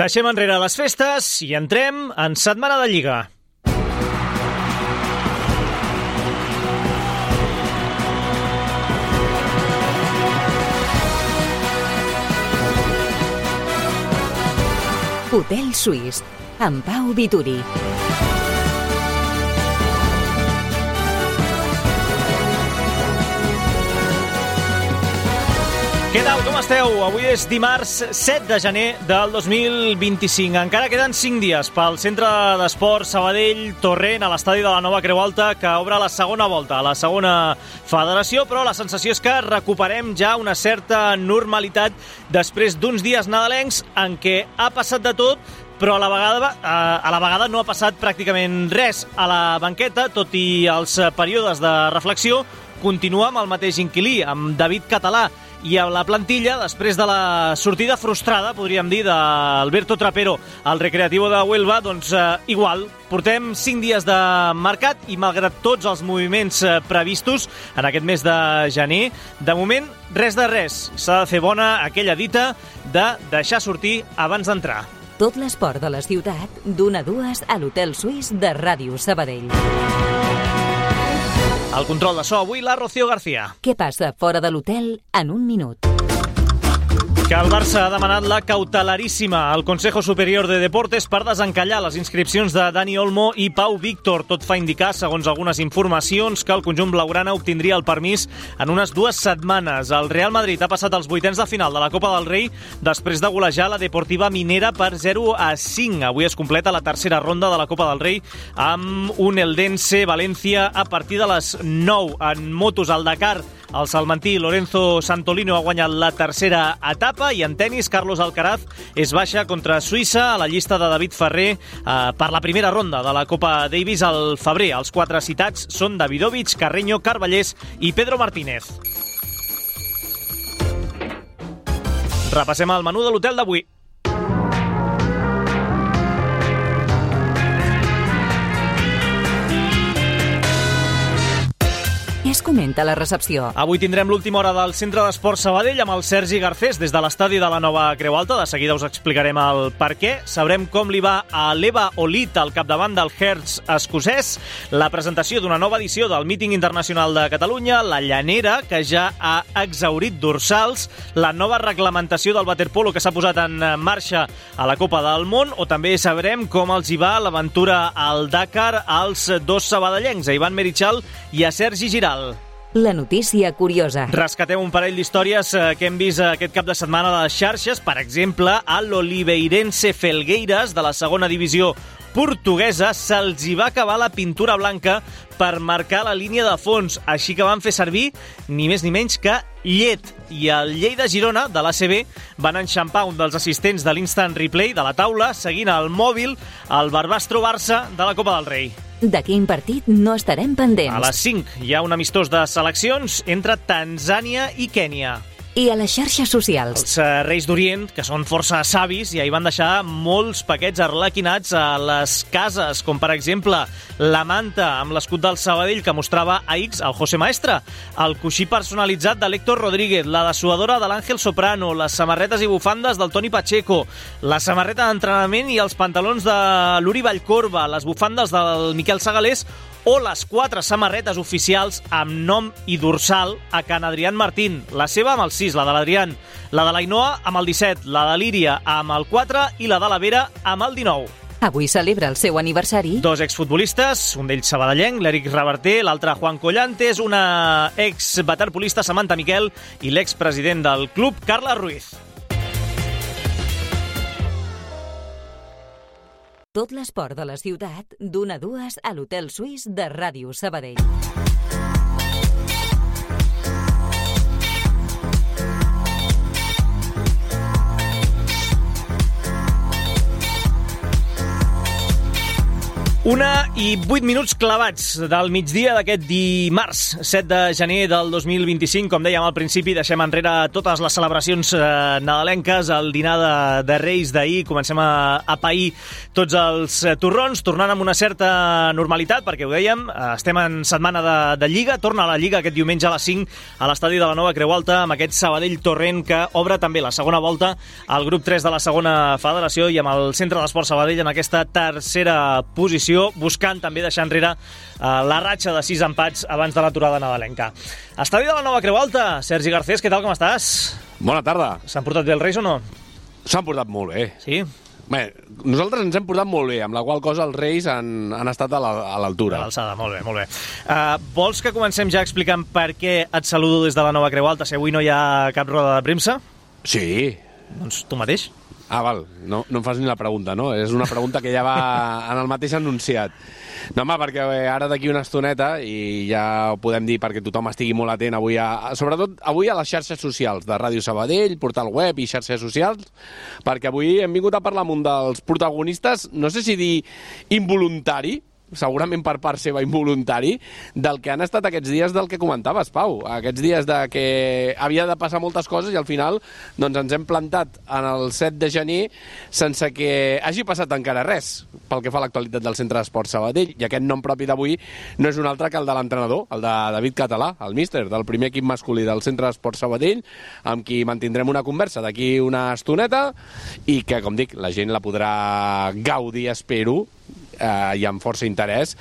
Deixem enrere les festes i entrem en Setmana de Lliga. Hotel Suís, amb Pau Vituri. Què tal, com esteu? Avui és dimarts 7 de gener del 2025. Encara queden 5 dies pel Centre d'Esport Sabadell Torrent a l'estadi de la Nova Creu Alta, que obre la segona volta a la segona federació, però la sensació és que recuperem ja una certa normalitat després d'uns dies nadalencs en què ha passat de tot, però a la vegada no ha passat pràcticament res a la banqueta, tot i els períodes de reflexió. Continua amb el mateix inquilí, amb David Català, i a la plantilla, després de la sortida frustrada, podríem dir, d'Alberto Trapero al Recreativo de Huelva, doncs igual. Portem 5 dies de mercat i malgrat tots els moviments previstos en aquest mes de gener, de moment res de res. S'ha de fer bona aquella dita de deixar sortir abans d'entrar. Tot l'esport de la ciutat, d'1 a 2 a l'Hotel Suís de Ràdio Sabadell. Al control de so avui, la Rocío García. Què passa fora de l'hotel en un minut? Que el Barça ha demanat la cautelaríssima al Consejo Superior de Deportes per desencallar les inscripcions de Dani Olmo i Pau Víctor. Tot fa indicar, segons algunes informacions, que el conjunt blaugrana obtindria el permís en unes 2 setmanes. El Real Madrid ha passat als vuitens de final de la Copa del Rei després de golejar la Deportiva Minera per 0-5. Avui es completa la tercera ronda de la Copa del Rei amb un Eldense València a partir de les 9. En motos al Dakar, el salmantí Lorenzo Santolino ha guanyat la tercera etapa i en tenis Carlos Alcaraz és baixa contra Suïssa a la llista de David Ferrer per la primera ronda de la Copa Davis al febrer. Els 4 citats són Davidovich, Carreño, Carballés i Pedro Martínez. Repassem el menú de l'hotel d'avui. Què es comenta a la recepció? Avui tindrem l'última hora del Centre d'Esport Sabadell amb el Sergi Garcés des de l'estadi de la Nova Creu Alta. De seguida us explicarem el per què. Sabrem com li va a l'Eva Olit al capdavant del Hertz escocès, la presentació d'una nova edició del Míting Internacional de Catalunya, la llanera, que ja ha exhaurit dorsals, la nova reglamentació del waterpolo que s'ha posat en marxa a la Copa del Món, o també sabrem com els hi va l'aventura al Dakar als 2 sabadellencs, a Ivan Merichal i a Sergi Giral. La notícia curiosa. Rescatem un parell d'històries que hem vist aquest cap de setmana a les xarxes. Per exemple, a l'Oliveirense Felgueiras, de la segona divisió portuguesa, se'ls hi va acabar la pintura blanca per marcar la línia de fons, així que van fer servir ni més ni menys que llet. I el Lleida Girona, de l'ACB, van enxampar un dels assistents de l'Instant Replay de la taula, seguint al mòbil el Barbastro Barça de la Copa del Rei. De quin partit no estarem pendents? A les 5 hi ha un amistós de seleccions entre Tanzània i Kènia. I a les xarxes socials? Els Reis d'Orient, que són força savis, ja hi van deixar molts paquets arlequinats a les cases, com per exemple la manta amb l'escut del Sabadell que mostrava a X el José Maestre, el coixí personalitzat de l'Héctor Rodríguez, la dessuadora de l'Àngel Soprano, les samarretes i bufandes del Toni Pacheco, la samarreta d'entrenament i els pantalons de l'Uri Vallcorba, les bufandes del Miquel Segalés o les 4 samarretes oficials amb nom i dorsal a Can Adrián Martín. La seva amb el 6, la de l'Adrián, la de l'Ainoa amb el 17, la de l'Íria amb el 4 i la de la Vera amb el 19. Avui celebra el seu aniversari 2 exfutbolistes, un d'ells sabadellenc, l'Eric Reverter, l'altre Juan Collantes, una ex-waterpolista Samantha Miquel i l'expresident del club, Carla Ruiz. Tot l'esport de la ciutat, d'1 a 2 a l'Hotel Suís de Ràdio Sabadell. 1:08 clavats del migdia d'aquest dimarts, 7 de gener del 2025. Com dèiem al principi, deixem enrere totes les celebracions nadalenques, el dinar de Reis d'ahir, comencem a pair tots els torrons, tornant amb una certa normalitat, perquè ho dèiem, estem en setmana de Lliga, torna a la Lliga aquest diumenge a les 5 a l'estadi de la Nova Creu Alta, amb aquest Sabadell-Torrent que obre també la segona volta al grup 3 de la segona federació i amb el Centre d'Esport Sabadell en aquesta tercera posició, buscant també deixar enrere la ratxa de 6 empats abans de l'aturada nadalenca. Estadi de la Nova Creu Alta, Sergi Garcés, què tal, com estàs? Bona tarda. S'han portat bé els Reis o no? S'han portat molt bé. Sí? Bé, nosaltres ens hem portat molt bé, amb la qual cosa els Reis han estat a l'altura. A l'alçada, molt bé, molt bé. Vols que comencem ja explicant per què et saludo des de la Nova Creu Alta, si avui no hi ha cap roda de premsa? Sí. Doncs tu mateix. Ah, val, no em fas ni la pregunta, no? És una pregunta que ja va en el mateix enunciat. No, home, perquè ara d'aquí una estoneta, i ja ho podem dir perquè tothom estigui molt atent avui, sobretot avui a les xarxes socials de Ràdio Sabadell, portal web i xarxes socials, perquè avui hem vingut a parlar amb un dels protagonistes, no sé si dir involuntari, segurament per part seva involuntari, del que han estat aquests dies del que comentaves, Pau. Aquests dies de que havia de passar moltes coses i al final doncs ens hem plantat en el 7 de gener sense que hagi passat encara res pel que fa a l'actualitat del Centre d'Esport Sabadell. I aquest nom propi d'avui no és un altre que el de l'entrenador, el de David Català, el míster del primer equip masculí del Centre d'Esport Sabadell, amb qui mantindrem una conversa d'aquí una estoneta i que, com dic, la gent la podrà gaudir, espero, i amb força interès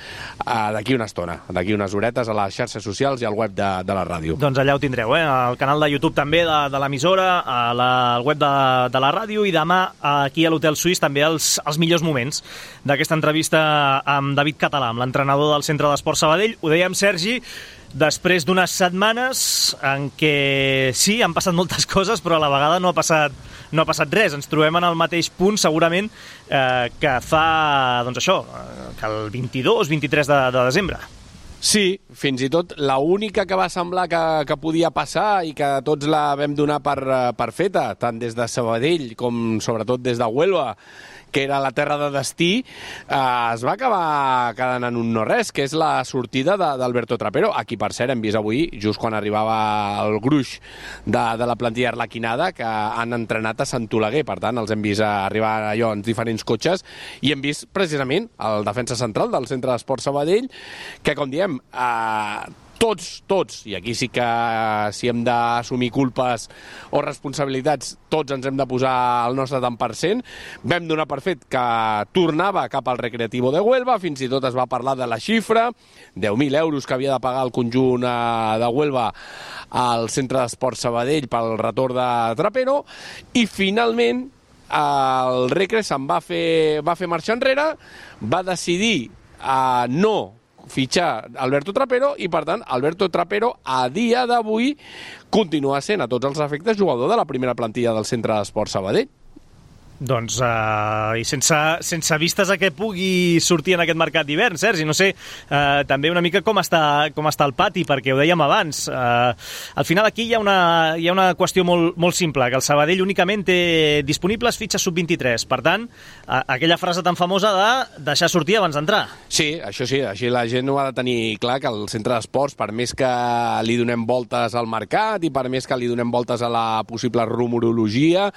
d'aquí una estona, d'aquí unes horetes a les xarxes socials i al web de la ràdio. Doncs allà ho tindreu, al canal de YouTube també de l'emissora, al web de la ràdio, i demà aquí a l'Hotel Suís també els millors moments d'aquesta entrevista amb David Català, amb l'entrenador del Centre d'Esport Sabadell. Ho dèiem, Sergi, després d'unes setmanes en què sí, han passat moltes coses, però a la vegada no ha passat res. Ens trobem en el mateix punt, segurament, que fa, doncs això, que el 22-23 de desembre. Sí, fins i tot l'única que va semblar que podia passar i que tots la vam donar per feta, tant des de Sabadell com sobretot des de Huelva, que era la terra de destí, es va acabar quedant en un no-res, que és la sortida d'Alberto Trapero, a qui, per cert, hem vist avui, just quan arribava el gruix de la plantilla arlequinada, que han entrenat a Sant Oleguer. Per tant, els hem vist arribar allò en diferents cotxes, i hem vist, precisament, el defensa central del Centre d'Esport Sabadell, que, com diem, tots, i aquí sí que si hem d'assumir culpes o responsabilitats, tots ens hem de posar el nostre tant per cent. Vam donar per fet que tornava cap al Recreativo de Huelva, fins i tot es va parlar de la xifra, 10.000 euros que havia de pagar el conjunt de Huelva al Centre d'Esport Sabadell pel retorn de Trapero, i finalment el Recre se'n va fer marxa enrere, va decidir no fitxar Alberto Trapero, i per tant Alberto Trapero a dia d'avui continua sent a tots els efectes jugador de la primera plantilla del Centre d'Esport Sabadell. Doncs, i sense vistes a què pugui sortir en aquest mercat d'hivern, Sergi, no sé, també una mica com està el pati, perquè ho dèiem abans. Al final aquí hi ha una qüestió molt simple, que el Sabadell únicament té disponibles fitxes sub-23. Per tant, aquella frase tan famosa de deixar sortir abans d'entrar. Sí, això sí, així la gent ho ha de tenir clar, que el Centre d'Esports, per més que li donem voltes al mercat i per més que li donem voltes a la possible rumorologia,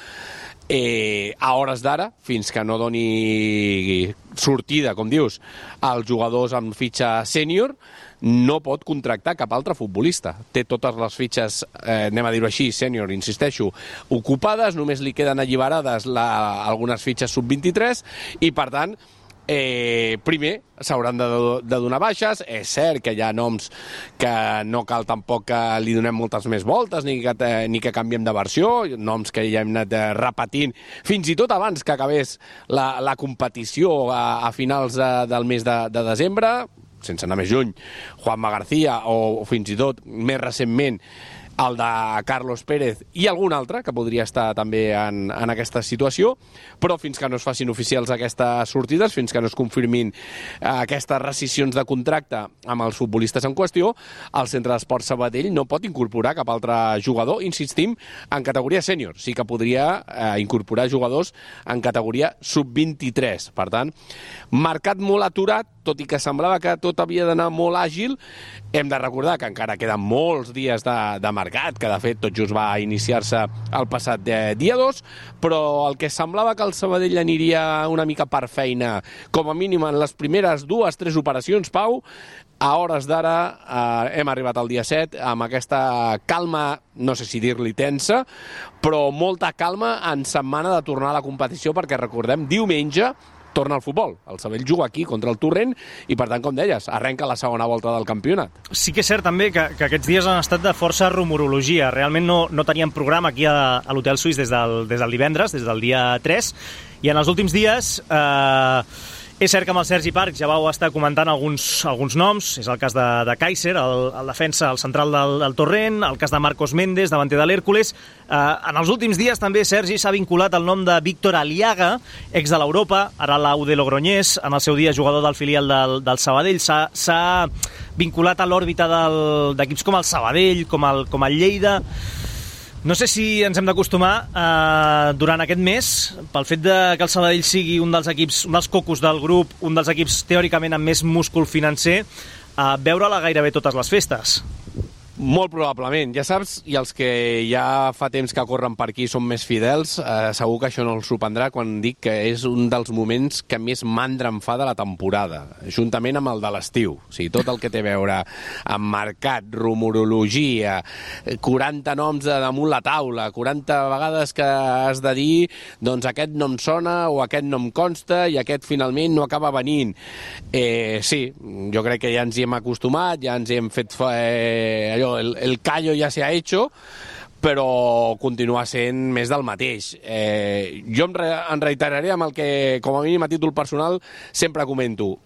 a hores d'ara, fins que no doni sortida, com dius, als jugadors amb fitxa sènior, no pot contractar cap altre futbolista. Té totes les fitxes, anem a dir-ho així, sènior, insisteixo, ocupades, només li queden alliberades algunes fitxes sub-23, i per tant, primer s'hauran de donar baixes. És cert que hi ha noms que no cal tampoc que li donem moltes més voltes ni que canviem de versió, noms que ja hem anat repetint fins i tot abans que acabés la competició a finals del mes de desembre, sense anar més lluny, Juanma García, o fins i tot més recentment el de Carlos Pérez i algun altre que podria estar també en aquesta situació, però fins que no es facin oficials aquestes sortides, fins que no es confirmin aquestes rescissions de contracte amb els futbolistes en qüestió, el Centre d'Esports Sabadell no pot incorporar cap altre jugador, insistim, en categoria sènior. Sí que podria incorporar jugadors en categoria sub-23. Per tant, mercat molt aturat, tot i que semblava que tot havia d'anar molt àgil. Hem de recordar que encara queden molts dies de mercat, que de fet tot just va iniciar-se el passat dia 2, però el que semblava que el Sabadell aniria una mica per feina, com a mínim en les primeres 2-3 operacions, Pau, a hores d'ara hem arribat al dia 7 amb aquesta calma, no sé si dir-li tensa, però molta calma en setmana de tornar a la competició, perquè recordem, diumenge torna al futbol. El Sabadell juga aquí contra el Torrent i, per tant, com deies, arrenca la segona volta del campionat. Sí que és cert també que aquests dies han estat de força rumorologia. Realment no teníem programa aquí a l'Hotel Suís des del divendres, des del dia 3, i en els últims dies és cert que amb el Sergi Parc ja vau estar comentant alguns noms. És el cas de Kaiser, el defensa, el central del Torrent, el cas de Marcos Méndez, davanter de l'Hèrcules. En els últims dies també, Sergi, s'ha vinculat el nom de Víctor Aliaga, ex de l'Europa, ara l'Aude Logroñés, en el seu dia jugador del filial del Sabadell. S'ha vinculat a l'òrbita d'equips com el Sabadell, com el Lleida. No sé si ens hem d'acostumar durant aquest mes, pel fet que el Sabadell sigui un dels equips, un dels cocos del grup, un dels equips teòricament amb més múscul financer, a veure-la gairebé totes les festes. Molt probablement. Ja saps, i els que ja fa temps que corren per aquí són més fidels, segur que això no els sorprendrà quan dic que és un dels moments que més mandra em fa de la temporada, juntament amb el de l'estiu. O sigui, tot el que té a veure amb mercat, rumorologia, 40 noms damunt la taula, 40 vegades que has de dir doncs aquest no em sona o aquest no em consta i aquest finalment no acaba venint. Sí, jo crec que ja ens hi hem acostumat, ja ens hi hem fet el callo ja s'ha hecho, però continua sent més del mateix. Jo em reiteraré amb el que, com a mínim a títol personal, sempre comento.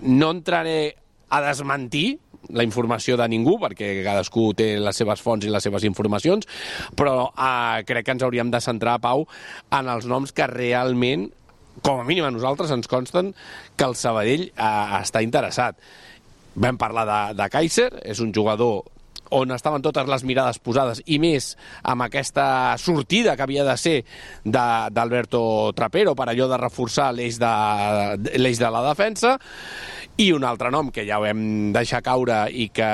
No entraré a desmentir la informació de ningú, perquè cadascú té les seves fonts i les seves informacions, però crec que ens hauríem de centrar, Pau, en els noms que realment, com a mínim a nosaltres, ens consten que el Sabadell està interessat. Vam parlar de Kaiser, és un jugador on estaven totes les mirades posades, i més amb aquesta sortida que havia de ser d'Alberto Trapero per allò de reforçar l'eix de la defensa. I un altre nom que ja ho vam deixar caure i que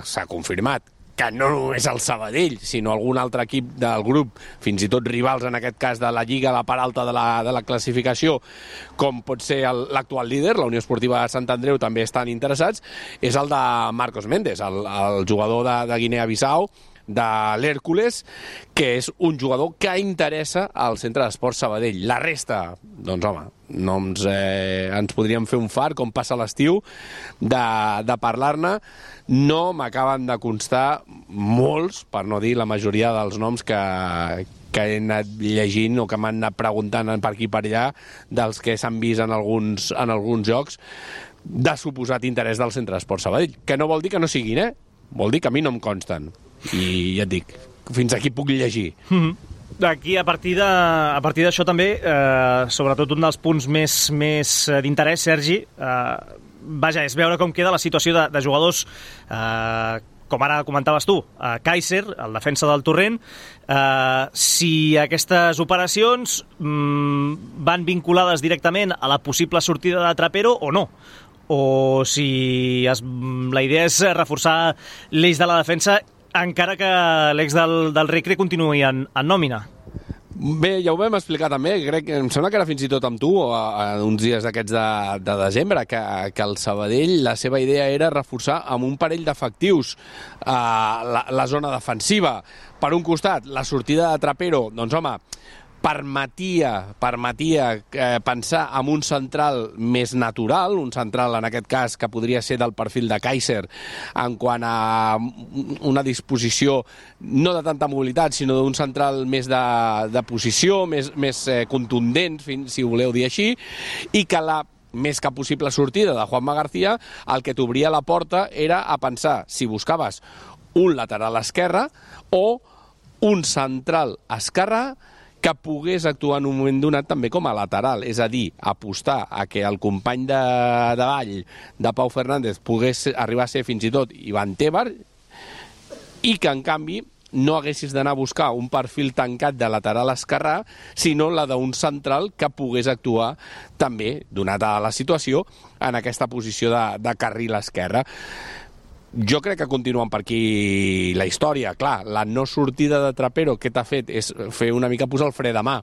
s'ha confirmat, que no només el Sabadell, sinó algun altre equip del grup, fins i tot rivals en aquest cas de la Lliga, la part alta de la classificació, com pot ser l'actual líder, la Unió Esportiva de Sant Andreu, també estan interessats, és el de Marcos Méndez, el jugador de Guinea-Bissau, de l'Hèrcules, que és un jugador que interessa al Centre d'Esports Sabadell. La resta, doncs home, ens podríem fer un fart, com passa l'estiu, de parlar-ne. No m'acaben de constar molts, per no dir la majoria dels noms que he anat llegint o que m'han anat preguntant per aquí i per allà, dels que s'han vist en alguns jocs, de suposat interès del Centre d'Esports Sabadell. Que no vol dir que no siguin, vol dir que a mi no em consten. I ja et dic, fins aquí puc llegir. Aquí, a partir d'això també, sobretot un dels punts més d'interès, Sergi, és veure com queda la situació de jugadors, com ara comentaves tu, Kaiser, el defensa del Torrent, si aquestes operacions van vinculades directament a la possible sortida de Trapero o no, o si la idea és reforçar l'eix de la defensa encara que l'ex del Recre continuï en nòmina. Bé, ja ho vam explicar també, em sembla que era fins i tot amb tu, uns dies d'aquests de desembre, que el Sabadell, la seva idea era reforçar amb un parell d'efectius la zona defensiva. Per un costat, la sortida de Trapero, doncs home, permetia pensar en un central més natural, un central en aquest cas que podria ser del perfil de Kaiser en quant a una disposició no de tanta mobilitat, sinó d'un central més de posició, més contundent, si ho voleu dir així, i que la més que possible sortida de Juanma García, el que t'obria la porta era a pensar, si buscaves un lateral esquerre o un central esquerre que pogués actuar en un moment donat també com a lateral, és a dir, apostar a que el company de davall de Pau Fernández pogués arribar a ser fins i tot Ivan Tebar i que, en canvi, no haguessis d'anar a buscar un perfil tancat de lateral esquerrà, sinó la d'un central que pogués actuar també, donada la situació, en aquesta posició de carril esquerre. Jo crec que continuen per aquí la història. Clar, la no sortida de Trapero, què t'ha fet? És fer una mica posar el fre de mà,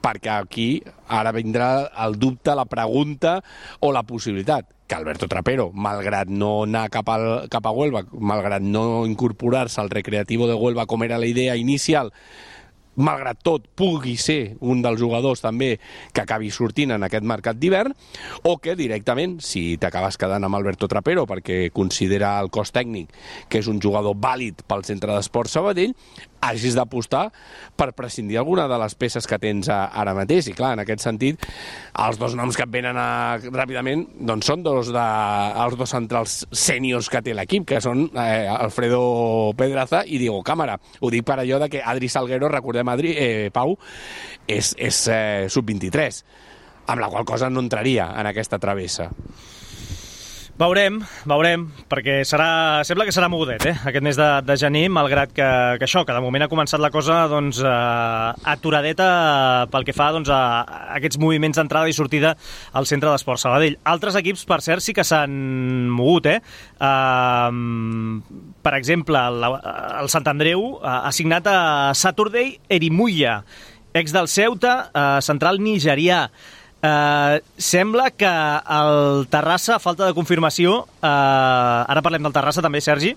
perquè aquí ara vindrà el dubte, la pregunta o la possibilitat que Alberto Trapero, malgrat no anar cap a Huelva, malgrat no incorporar-se al Recreativo de Huelva com era la idea inicial, malgrat tot, pugui ser un dels jugadors també que acabi sortint en aquest mercat d'hivern, o que directament, si t'acabes quedant amb Alberto Trapero perquè considera el cos tècnic que és un jugador vàlid pel Centre d'Esports Sabadell, hagis d'apostar per prescindir alguna de les peces que tens ara mateix. I clar, en aquest sentit, els dos noms que et venen ràpidament doncs són els dos centrals sèniors que té l'equip, que són Alfredo Pedraza i Diego Cámara. Ho dic per allò de que Adri Salguero, recordem Pau, és sub-23, amb la qual cosa no entraria en aquesta travessa. Veurem, perquè sembla que serà mogudet, aquest mes de gener, malgrat que això, que de moment ha començat la cosa doncs, aturadeta pel que fa doncs, a aquests moviments d'entrada i sortida al Centre d'Esports Sabadell. Altres equips, per cert, sí que s'han mogut. Per exemple, el Sant Andreu ha signat a Saturday Erimuya, ex del Ceuta, central nigerià. Sembla que el Terrassa, a falta de confirmació, ara parlem del Terrassa també, Sergi,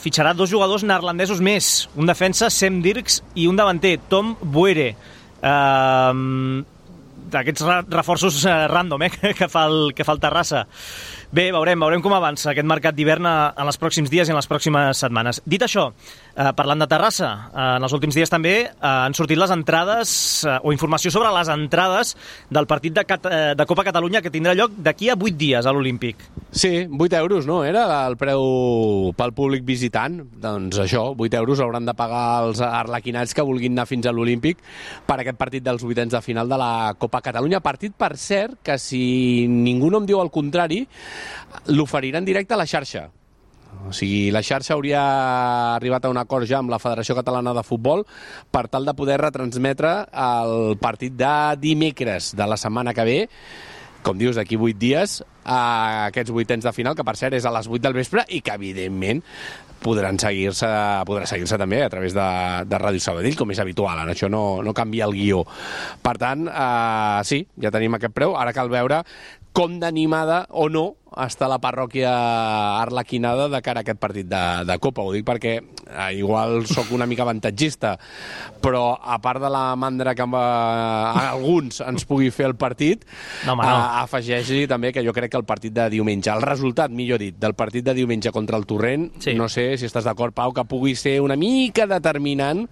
fitxarà 2 jugadors neerlandesos més, un defensa, Sem Dirks, i un davanter, Tom Boere. D'aquests reforços random que fa el Terrassa. Bé, veurem com avança aquest mercat d'hivern en els pròxims dies i en les pròximes setmanes. Dit això, parlant de Terrassa, en els últims dies també han sortit les entrades o informació sobre les entrades del partit de Copa Catalunya que tindrà lloc d'aquí a 8 dies a l'Olímpic. Sí, 8 euros, no? Era el preu pel públic visitant. Doncs això, 8 euros hauran de pagar els arlequinats que vulguin anar fins a l'Olímpic per aquest partit dels vuitens de final de la Copa Catalunya. Partit, per cert, que si ningú no em diu el contrari, l'oferirà en directe a la xarxa. O sigui, la xarxa hauria arribat a un acord ja amb la Federació Catalana de Futbol per tal de poder retransmetre el partit de dimecres de la setmana que ve, com dius, d'aquí 8 dies, a aquests vuitens de final, que per cert és a les 8 del vespre i que, evidentment, podrà seguir-se també a través de Ràdio Sabadell, com és habitual. En això no canvia el guió. Per tant, sí, ja tenim aquest preu. Ara cal veure com d'animada o no està la parròquia arlequinada de cara a aquest partit de Copa. Ho dic perquè igual sóc una mica avantatgista, però a part de la mandra que alguns ens pugui fer el partit, afegeix-hi també que jo crec que el partit de diumenge, el resultat, millor dit, del partit de diumenge contra el Torrent, sí. No sé si estàs d'acord, Pau, que pugui ser una mica determinant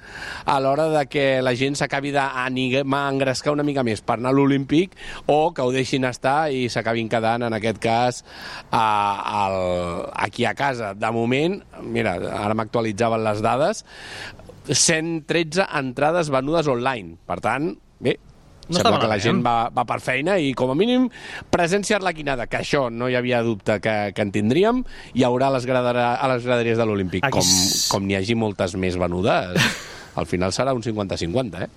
a l'hora de que la gent s'acabi d'engrescar una mica més per anar a l'Olímpic o que ho deixin estar i s'acabin quedant, en aquest cas, aquí a casa. De moment, mira, ara m'actualitzaven les dades, 113 entrades venudes online. Per tant, bé, sembla que la gent va per feina i, com a mínim, presència arlequinada, que això no hi havia dubte que en tindríem, hi haurà a les graderies de l'Olímpic. Com n'hi hagi moltes més venudes, al final serà un 50-50,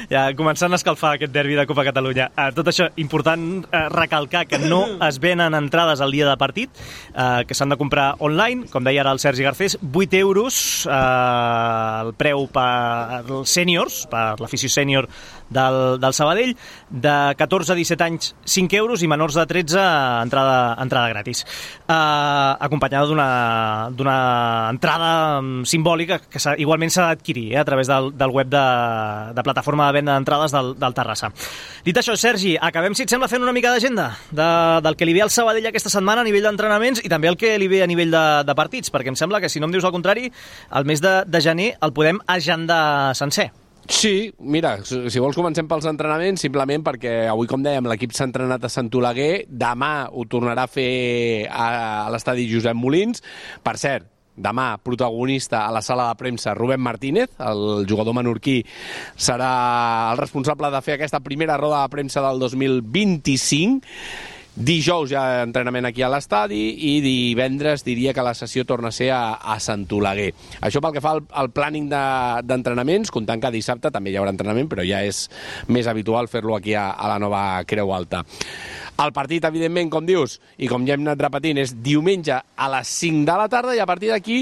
Ja, començant a escalfar aquest derbi de Copa Catalunya. Tot això, important recalcar que no es venen entrades al dia de partit, que s'han de comprar online, com deia ara el Sergi Garcés, 8 euros el preu per els sèniors, per l'afició sènior del Sabadell, de 14 a 17 anys 5 euros i menors de 13 entrada gratis, acompanyada d'una entrada simbòlica que igualment s'ha d'adquirir a través del web de plataforma de venda d'entrades del Terrassa. Dit això, Sergi, acabem, si et sembla, fent una mica d'agenda del que li ve al Sabadell aquesta setmana a nivell d'entrenaments i també el que li ve a nivell de partits, perquè em sembla que, si no em dius el contrari, el mes de gener el podem agendar sencer. Sí, mira, si vols comencem pels entrenaments, simplement perquè avui, com dèiem, l'equip s'ha entrenat a Sant Oleguer, demà ho tornarà a fer a l'estadi Josep Molins. Per cert, demà protagonista a la sala de premsa Rubén Martínez, el jugador menorquí, serà el responsable de fer aquesta primera roda de premsa del 2025. Dijous ja entrenament aquí a l'estadi i divendres diria que la sessió torna a ser a Sant Oleguer. Això pel que fa al planning d'entrenaments, comptant que dissabte també hi haurà entrenament, però ja és més habitual fer-lo aquí a la nova Creu Alta. El partit, evidentment, com dius, i com ja hem anat repetint, és diumenge a les 5 de la tarda i a partir d'aquí,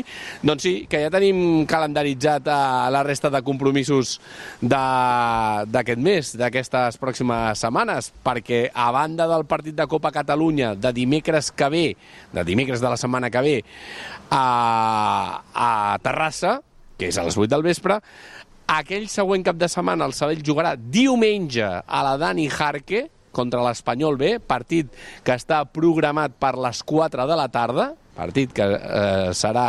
doncs sí, que ja tenim calendaritzat la resta de compromisos d'aquest mes, d'aquestes pròximes setmanes, perquè a banda del partit de Copa Catalunya de dimecres de la setmana que ve a Terrassa, que és a les 8 del vespre, aquell següent cap de setmana el Sabadell jugarà diumenge a la Dani Jarque, contra l'Espanyol B, partit que està programat per les 4 de la tarda, partit que serà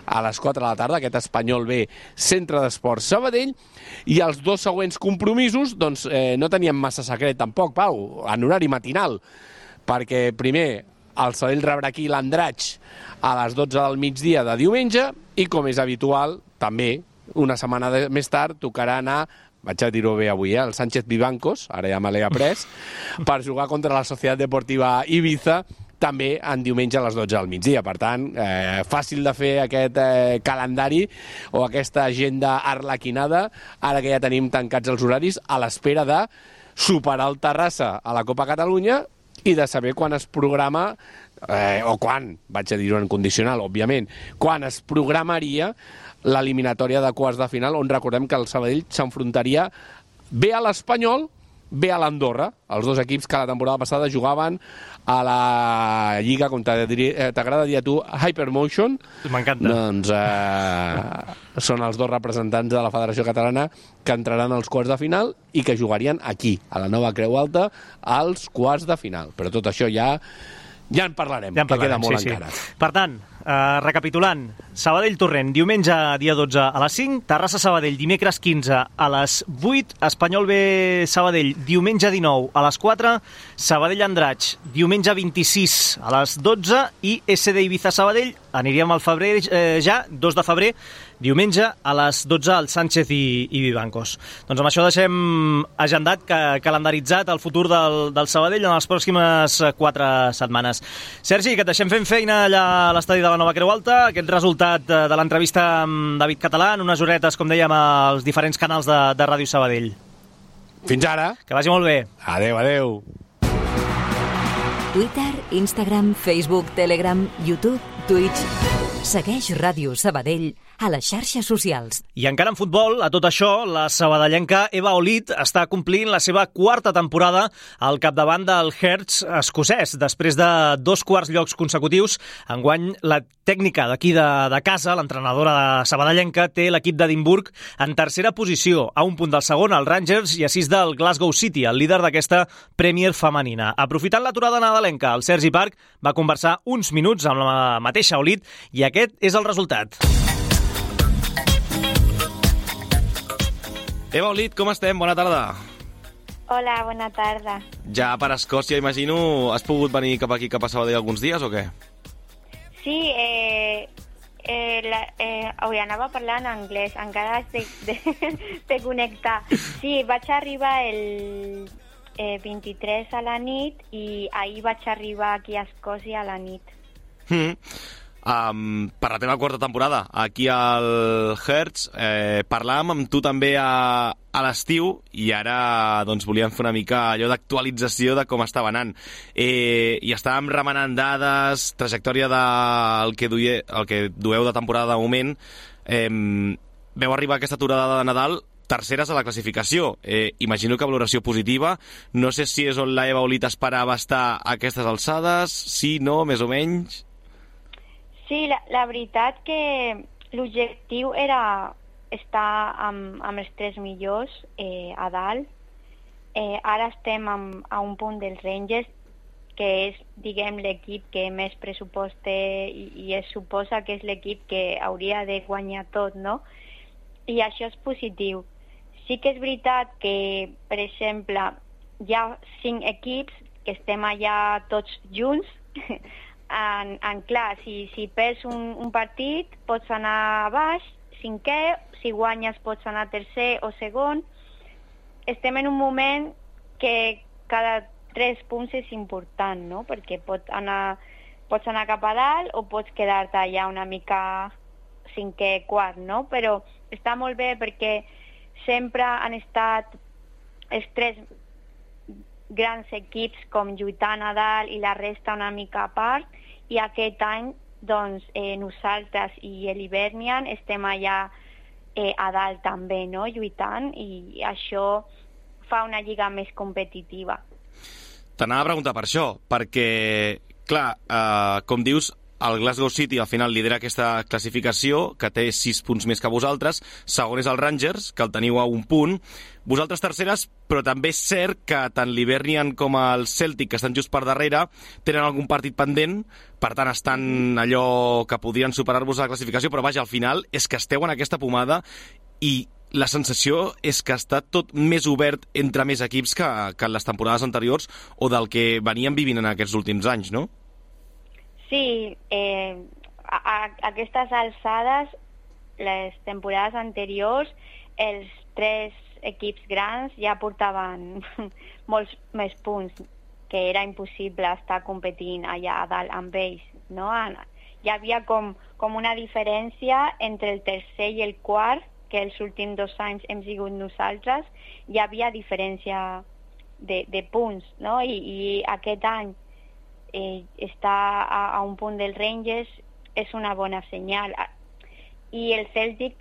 a les 4 de la tarda, aquest Espanyol B, Centre d'Esports Sabadell, i els dos següents compromisos doncs, no teníem massa secret tampoc, Pau, en horari matinal, perquè primer el Sabadell rebrà aquí l'Andratx a les 12 del migdia de diumenge i, com és habitual, també una setmana més tard tocarà anar, vaig a dir-ho bé avui, el Sánchez Vivancos, ara ja me l'he après, per jugar contra la Societat Deportiva Ibiza, també en diumenge a les 12 del migdia. Per tant, fàcil de fer aquest calendari o aquesta agenda arlequinada, ara que ja tenim tancats els horaris, a l'espera de superar el Terrassa a la Copa Catalunya i de saber quan es programa, o quan, vaig a dir-ho en condicional, òbviament, quan es programaria l'eliminatòria de quarts de final, on recordem que el Sabadell s'enfrontaria bé a l'Espanyol, bé a l'Andorra, els dos equips que la temporada passada jugaven a la Lliga, com t'agrada dir a tu, Hypermotion. M'encanta. Doncs són els dos representants de la Federació Catalana que entraran als quarts de final i que jugarien aquí, a la nova Creu Alta, als quarts de final. Però tot això ja en parlarem, que queda molt encara. Per tant, recapitulant, Sabadell-Torrent, diumenge dia 12 a les 5, Terrassa-Sabadell, dimecres 15 a les 8, Espanyol B-Sabadell, diumenge 19 a les 4, Sabadell-Andratx, diumenge 26 a les 12 i SD Ibiza-Sabadell, aniríem al febrer ja, 2 de febrer, diumenge a les 12 al Sánchez i Vivancos. Doncs amb això deixem agendat, calendaritzat el futur del Sabadell en les pròximes 4 setmanes. Sergi, que et deixem fent feina allà a l'estadi de la Nova Creu Alta, aquest resultat de l'entrevista amb David Català en unes horetes, com dèiem, als diferents canals de Ràdio Sabadell. Fins ara. Que vagi molt bé. Adéu, adéu. Twitter, Instagram, Facebook, Telegram, YouTube, Twitch. Segueix Ràdio Sabadell a les xarxes socials. I encara en futbol, a tot això, la sabadellenca Eva Olid està complint la seva 4ª temporada al capdavant del Herts escocès. Després de 2 quarts llocs consecutius, enguany la tècnica d'aquí de casa, l'entrenadora sabadellenca, té l'equip d'Edimburg en 3a posició, a 1 punt del segon, el Rangers, i a 6 del Glasgow City, el líder d'aquesta Premier femenina. Aprofitant l'aturada nadalenca, el Sergi Park va conversar uns minuts amb la mateixa Olid i aquest és el resultat. Eva Olid, com estem? Bona tarda. Hola, bona tarda. Ja per Escòcia, imagino, has pogut venir cap aquí, cap a Sabadell alguns dies o què? Sí, avui anava parlant anglès, encara de connectar. Sí, vaig arribar el 23 a la nit i ahir vaig arribar aquí a Escòcia a la nit. Per la teva 4ª temporada aquí al Herts, parlàvem amb tu també a l'estiu i ara doncs, volíem fer una mica allò d'actualització de com estava anant. I estàvem remenant dades, trajectòria del que dueu de temporada de moment. Veu arribar aquesta aturada de Nadal terceres a la classificació. Imagino que valoració positiva. No sé si és on la Eva Olid esperava estar a aquestes alçades, sí, no, més o menys. Sí, la veritat que l'objectiu era estar amb els 3 millors a dalt. Ara estem a 1 punt dels Rangers, que és, diguem, l'equip que més pressupost té i es suposa que és l'equip que hauria de guanyar tot, no? I això és positiu. Sí que és veritat que, per exemple, hi ha 5 equips que estem allà tots junts. Clar, si perds un partit pots anar a baix, 5è, si guanyes pots anar tercer o segon. Estem en un moment que cada 3 punts és important, no? Perquè pots anar cap a dalt o pots quedar-te allà una mica 5è, quart, no? Però està molt bé perquè sempre han estat els 3 grans equips com lluitant a dalt i la resta una mica a part, i aquest any doncs nosaltres i l'Hibernian estem allà a dalt també, no? Lluitant, i això fa una lliga més competitiva. T'anava a preguntar per això, perquè, clar, com dius, el Glasgow City al final lidera aquesta classificació, que té 6 punts més que vosaltres. Segon és el Rangers, que el teniu a 1 punt. Vosaltres terceres, però també és cert que tant l'Hibernian com el Celtic, que estan just per darrere, tenen algun partit pendent, per tant estan allò que podrien superar-vos a la classificació, però vaja, al final és que esteu en aquesta pomada i la sensació és que està tot més obert entre més equips que en les temporades anteriors o del que veníem vivint en aquests últims anys, no? Sí, a aquestes alçades, les temporades anteriors, els 3 equips grans ja portaven molts més punts, que era impossible estar competint allà a dalt amb ells, no? Hi havia com una diferència entre el tercer i el quart, que els últims 2 anys hem sigut nosaltres, hi havia diferència de punts, no? I aquest any està a un punt del Rangers és una bona senyal. I el Celtic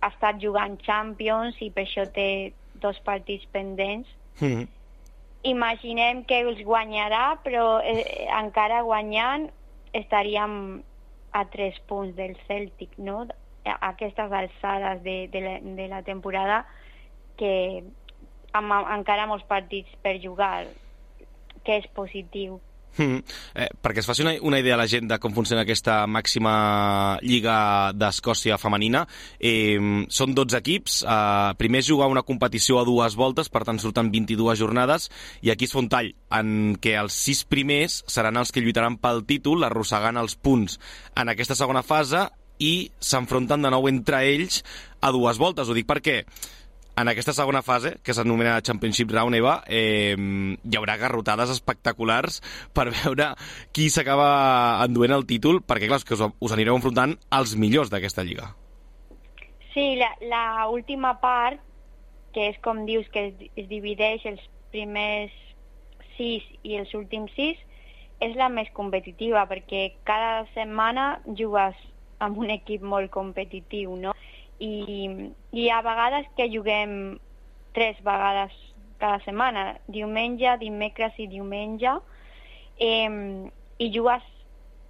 ha estat jugant Champions i per això té 2 partits pendents. Imaginem que els guanyarà, però encara guanyant estaríem a 3 punts del Celtic, no? A aquestes alçades de la temporada, que amb encara molts partits per jugar, que és positiu. Perquè es faci una idea a la gent de com funciona aquesta màxima lliga d'Escòcia femenina, són 12 equips, primer es juga una competició a 2 voltes, per tant surten 22 jornades, i aquí es fa un tall en què els 6 primers seran els que lluitaran pel títol, arrossegant els punts en aquesta segona fase, i s'enfronten de nou entre ells a 2 voltes. Ho dic perquè en aquesta segona fase, que s'anomena Championship Round, Eva, hi haurà garrotades espectaculars per veure qui s'acaba enduent el títol, perquè clar, que us anireu enfrontant als millors d'aquesta lliga. Sí, la última part, que és com dius, que es divideix els primers 6 i els últims 6, és la més competitiva, perquè cada setmana jugues amb un equip molt competitiu, no? I hi ha vegades que juguem 3 vegades cada setmana, diumenge, dimecres i diumenge, i jugues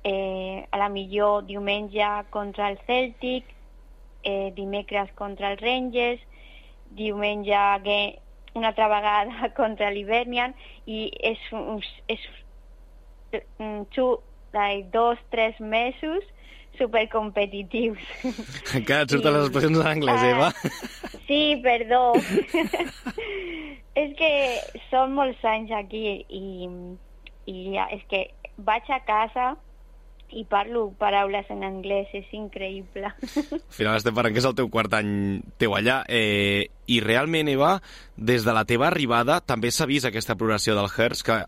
a la millor diumenge contra el Celtic, dimecres contra el Rangers, diumenge una altra vegada contra l'Hibernian, i és 2-3 mesos supercompetitius. Encara et surten les expressions en anglès, Eva? Sí, perdó. És que són molts anys aquí i és que vaig a casa i parlo paraules en anglès, és increïble. Al final estem parlant que és el teu 4 any teu allà, i realment, Eva, des de la teva arribada també s'ha vist aquesta progressió del Hearts, que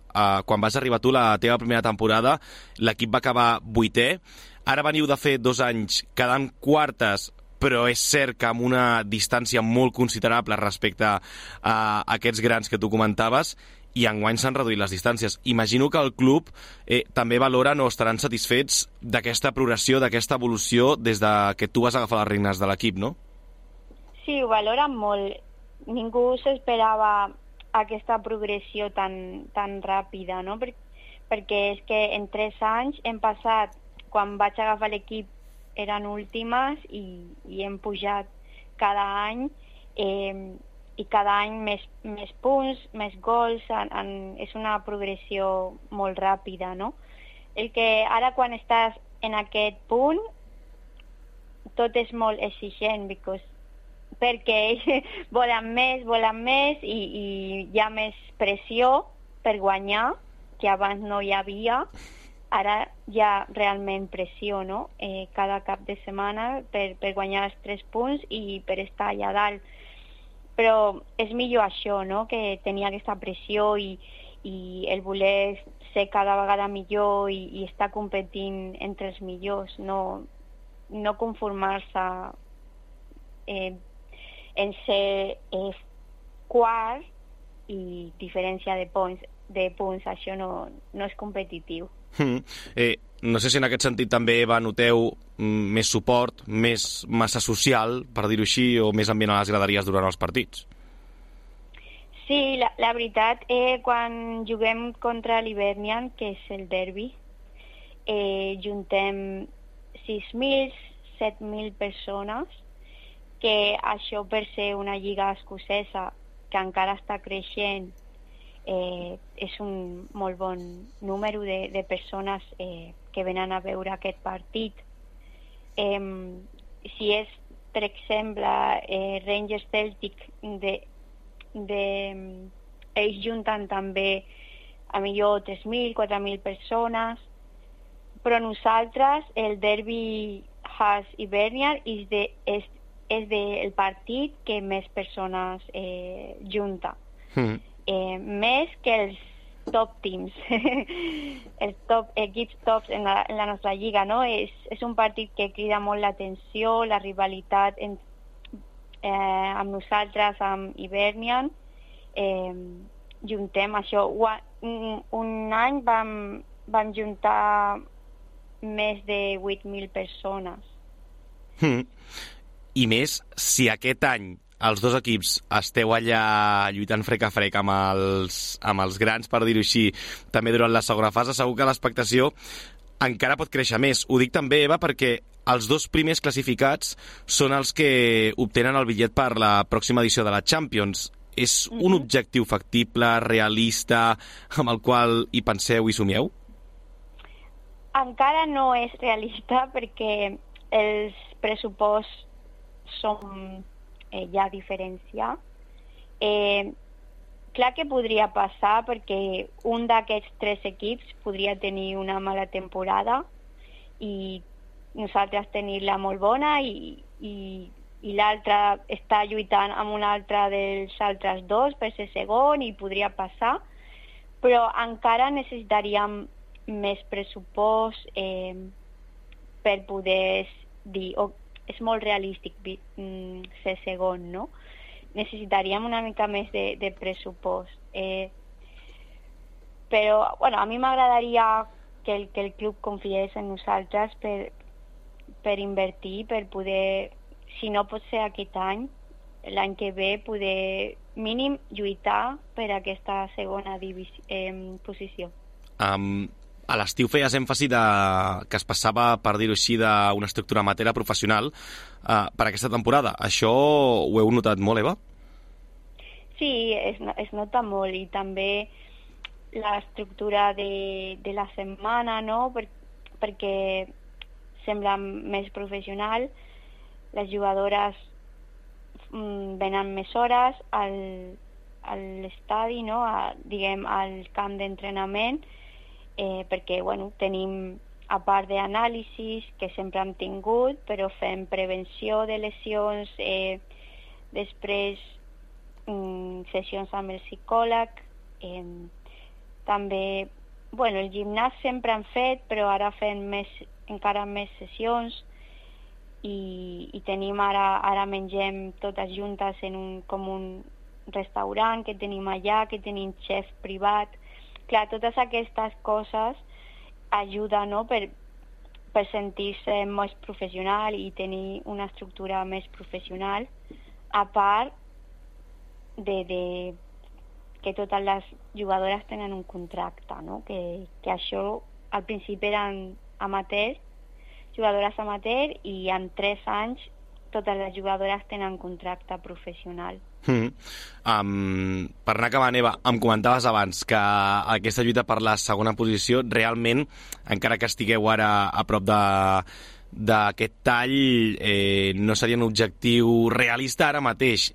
quan vas arribar tu la teva primera temporada l'equip va acabar 8è. Ara veniu de fer 2 anys quedant quartes, però és cert que amb una distància molt considerable respecte a aquests grans que tu comentaves, i enguany s'han reduït les distàncies. Imagino que el club també valoren o estaran satisfets d'aquesta progressió, d'aquesta evolució des que tu vas agafar les regnes de l'equip, no? Sí, ho valoren molt. Ningú s'esperava aquesta progressió tan ràpida, no? Perquè és que en 3 anys hem passat, quan vaig agafar l'equip eren últimes i hem pujat cada any, i cada any més punts, més gols, és una progressió molt ràpida, no? El que ara quan estàs en aquest punt tot és molt exigent, because perquè volen més i hi ha més pressió per guanyar, que abans no hi havia. Ara hi ha realment pressió, no? Cada cap de setmana per guanyar els 3 punts i per estar allà dalt. Però és millor això, no?, que tenir aquesta pressió i el voler ser cada vegada millor i estar competint entre els millors, no conformar-se en ser quart i diferència de punts, això no és competitiu. No sé si en aquest sentit també, Eva, noteu més suport, més massa social, per dir-ho així, o més ambient a les graderies durant els partits? Sí, la veritat, quan juguem contra l'Hibernian, que és el derbi, juntem 6.000, 7.000 persones, que això per ser una lliga escocesa que encara està creixent, és un molt bon número de persones que venen a veure aquest partit. Si és, per exemple, Rangers Celtic, ells junten també a millor 3.000, 4.000 persones, però nosaltres, el derbi Hearts Hibernian és el partit que més persones junta. Més que els top teams, els equips tops en la nostra lliga, no? És un partit que crida molt l'atenció, la rivalitat amb nosaltres, amb Hibernian. Juntem això. Un any vam juntar més de 8.000 persones. I més, si aquest any els dos equips esteu allà lluitant frec a frec amb els grans, per dir-ho així, també durant la segona fase, segur que l'expectació encara pot créixer més. Ho dic també, Eva, perquè els dos primers classificats són els que obtenen el bitllet per la pròxima edició de la Champions. És un objectiu factible, realista, amb el qual hi penseu i somieu? Encara no és realista perquè els pressuposts són ja diferència. Clar que podria passar perquè un d'aquests 3 equips podria tenir una mala temporada i nosaltres tenir-la molt bona i l'altre està lluitant amb un altre dels altres 2 per ser segon i podria passar, però encara necessitaríem més pressupost per poder dir és molt realístic ser segon, no? Necessitaríem una mica més de pressupost. Però, bueno, a mi m'agradaria que el club confiés en nosaltres per invertir, per poder, si no pot ser aquest any, l'any que ve, poder mínim lluitar per aquesta segona posició. A l'estiu feies èmfasi que es passava, per dir-ho així, d'una estructura amateur a professional per aquesta temporada. Això ho heu notat molt, Eva? Sí, es nota molt, i també l'estructura de la setmana, no? Perquè sembla més professional. Les jugadores venen més hores a l'estadi, no? Diguem, al camp d'entrenament, perquè tenim, a part d'anàlisis que sempre hem tingut, però fem prevenció de lesions, després sessions amb el psicòleg, també el gimnàs sempre hem fet, però ara fem encara més sessions i tenim ara mengem totes juntes com un restaurant que tenim allà, que tenim xef privat. Clar, totes aquestes coses ajuden, no?, per sentir-se més professional i tenir una estructura més professional, a part de que totes les jugadores tenen un contracte, no? Que això al principi eren amateurs, jugadores amateur, i en 3 anys totes les jugadores tenen contracte professional. Per anar acabant, Eva, em comentaves abans que aquesta lluita per la segona posició realment, encara que estigueu ara a prop d'aquest tall no seria un objectiu realista ara mateix.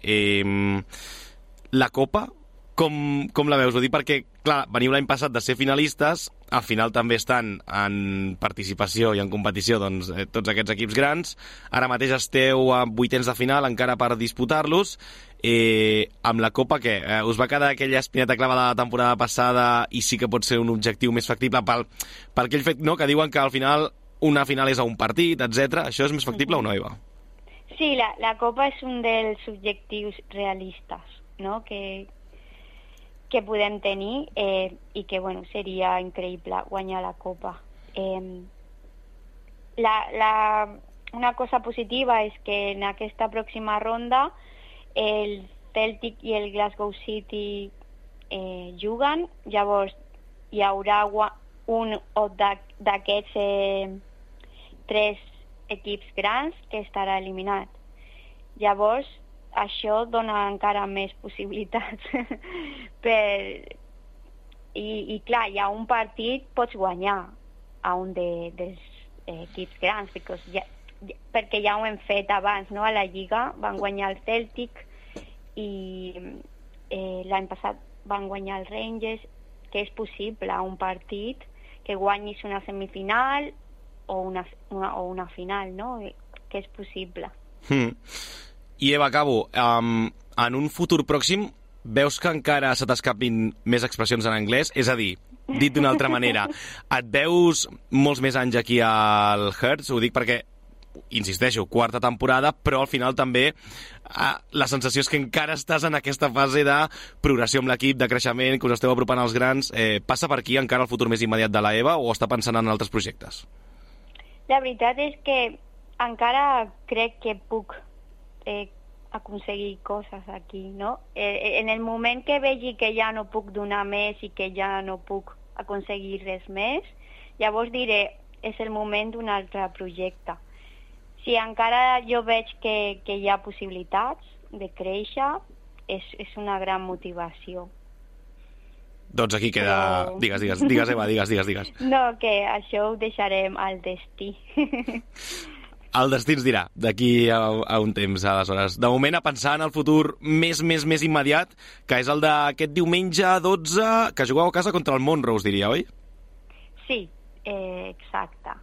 La Copa, com la veus? Ho dic perquè, clar, veniu l'any passat de ser finalistes, al final també estan en participació i en competició doncs, tots aquests equips grans. Ara mateix esteu a vuitens de final encara per disputar-los. Amb la Copa, què? Us va quedar aquella espineta clavada de la temporada passada i sí que pot ser un objectiu més factible pel aquell fet, no?, que diuen que al final una final és a un partit, etc. Això és més factible o no, Eva? Sí, la Copa és un dels objectius realistes, no?, que podem tenir i que, bueno, seria increïble guanyar la Copa. Una cosa positiva és que en aquesta pròxima ronda el Celtic i el Glasgow City juguen, llavors hi haurà un d'aquests 3 equips grans que estarà eliminat. Llavors, això dona encara més possibilitats. I clar, hi ha un partit, pots guanyar a un dels equips grans, perquè ja ho hem fet abans, no? A la Lliga van guanyar el Celtic i l'any passat van guanyar el Rangers, que és possible un partit que guanyis una semifinal o una final, no? Que és possible. I Eva, acabo. En un futur pròxim, veus que encara se t'escapin més expressions en anglès? És a dir, dit d'una altra manera, et veus molts més anys aquí al Hertz? Ho dic perquè, insisteixo, quarta temporada, però al final també la sensació és que encara estàs en aquesta fase de progressió amb l'equip, de creixement, que us esteu apropant als grans. Passa per aquí encara el futur més immediat de la Eva o està pensant en altres projectes? La veritat és que encara crec que puc aconseguir coses aquí, no? En el moment que vegi que ja no puc donar més i que ja no puc aconseguir res més, llavors diré, és el moment d'un altre projecte. Si encara jo veig que hi ha possibilitats de créixer, és una gran motivació. Doncs aquí queda... Però... Digues, Eva, digues. No, que això ho deixarem al destí. El destí ens dirà d'aquí a un temps, aleshores. De moment, a pensar en el futur més immediat, que és el d'aquest diumenge 12, que jugueu a casa contra el Montrose, diria, oi? Sí, exacte.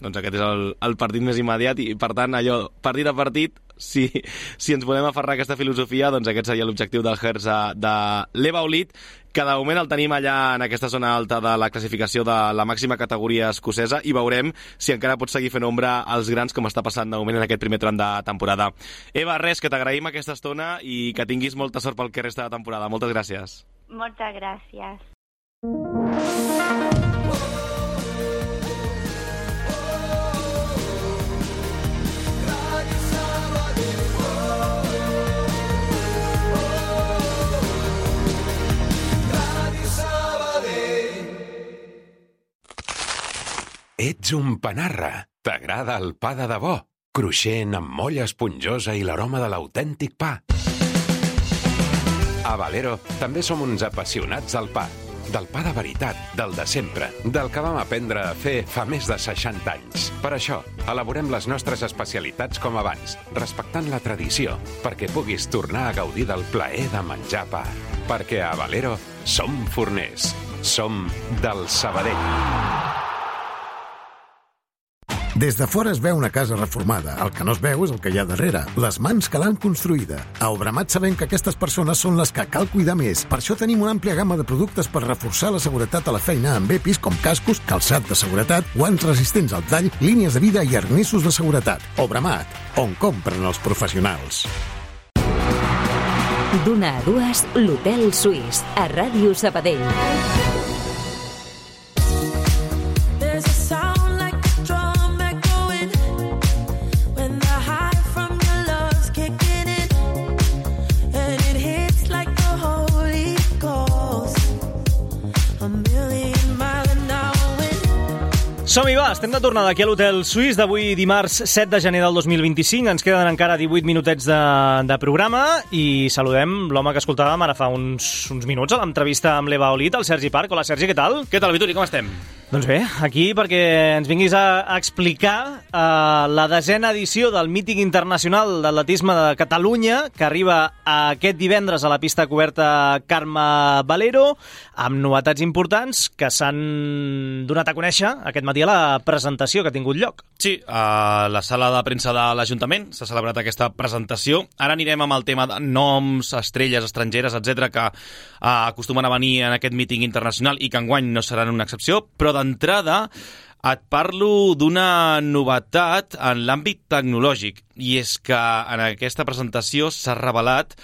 Doncs aquest és el partit més immediat i, per tant, allò, partit a partit, si ens volem aferrar a aquesta filosofia, doncs aquest seria l'objectiu del Hertz de l'Eva Olit, que de moment el tenim allà en aquesta zona alta de la classificació de la màxima categoria escocesa i veurem si encara pot seguir fent ombra als grans com està passant de moment en aquest primer tram de temporada. Eva, res, que t'agraïm aquesta estona i que tinguis molta sort pel que resta de temporada. Moltes gràcies. Moltes gràcies. Ets un panarra. T'agrada el pa de debò? Cruixent, amb molla esponjosa i l'aroma de l'autèntic pa. A Valero també som uns apassionats del pa. Del pa de veritat, del de sempre, del que vam aprendre a fer fa més de 60 anys. Per això, elaborem les nostres especialitats com abans, respectant la tradició, perquè puguis tornar a gaudir del plaer de menjar pa. Perquè a Valero som forners. Som del Sabadell. Des de fora es veu una casa reformada. El que no es veu és el que hi ha darrere, les mans que l'han construïda. A Obramat sabem que aquestes persones són les que cal cuidar més. Per això tenim una àmplia gamma de productes per reforçar la seguretat a la feina amb EPIs com cascos, calçat de seguretat, guants resistents al tall, línies de vida i arnissos de seguretat. Obramat, on compren els professionals. D'una a dues, l'Hotel Suís, a Ràdio Sabadell. Som-hi, va, estem de tornada aquí a l'Hotel Suís d'avui dimarts 7 de gener del 2025. Ens queden encara 18 minutets de programa i saludem l'home que escoltàvem ara fa uns minuts a l'entrevista amb l'Eva Olit, el Sergi Parc. Hola, Sergi, què tal? Què tal, Vituri, com estem? Doncs bé, aquí perquè ens vinguis a explicar la 10ª edició del míting internacional d'atletisme de Catalunya, que arriba aquest divendres a la pista coberta Carme Valero, amb novetats importants que s'han donat a conèixer aquest matí a la presentació que ha tingut lloc. Sí, a la sala de premsa de l'Ajuntament s'ha celebrat aquesta presentació. Ara anirem amb el tema de noms, estrelles estrangeres, etc que acostumen a venir en aquest míting internacional i que enguany no seran una excepció, però d'entrada et parlo d'una novetat en l'àmbit tecnològic, i és que en aquesta presentació s'ha revelat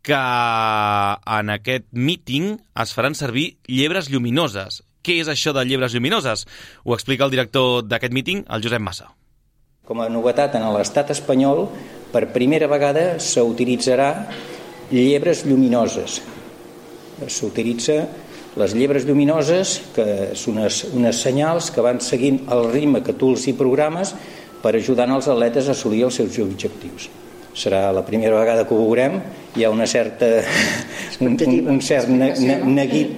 que en aquest míting es faran servir llebres lluminoses. Què és això de llebres lluminoses? Ho explica el director d'aquest míting, el Josep Massa. Com a novetat en l'estat espanyol, per primera vegada s'utilitzarà llebres lluminoses. S'utilitza les llebres lluminoses, que són unes senyals que van seguint el ritme que tu els hi programes per ajudar els atletes a assolir els seus objectius. Serà la primera vegada que ho veurem. Hi ha un cert neguit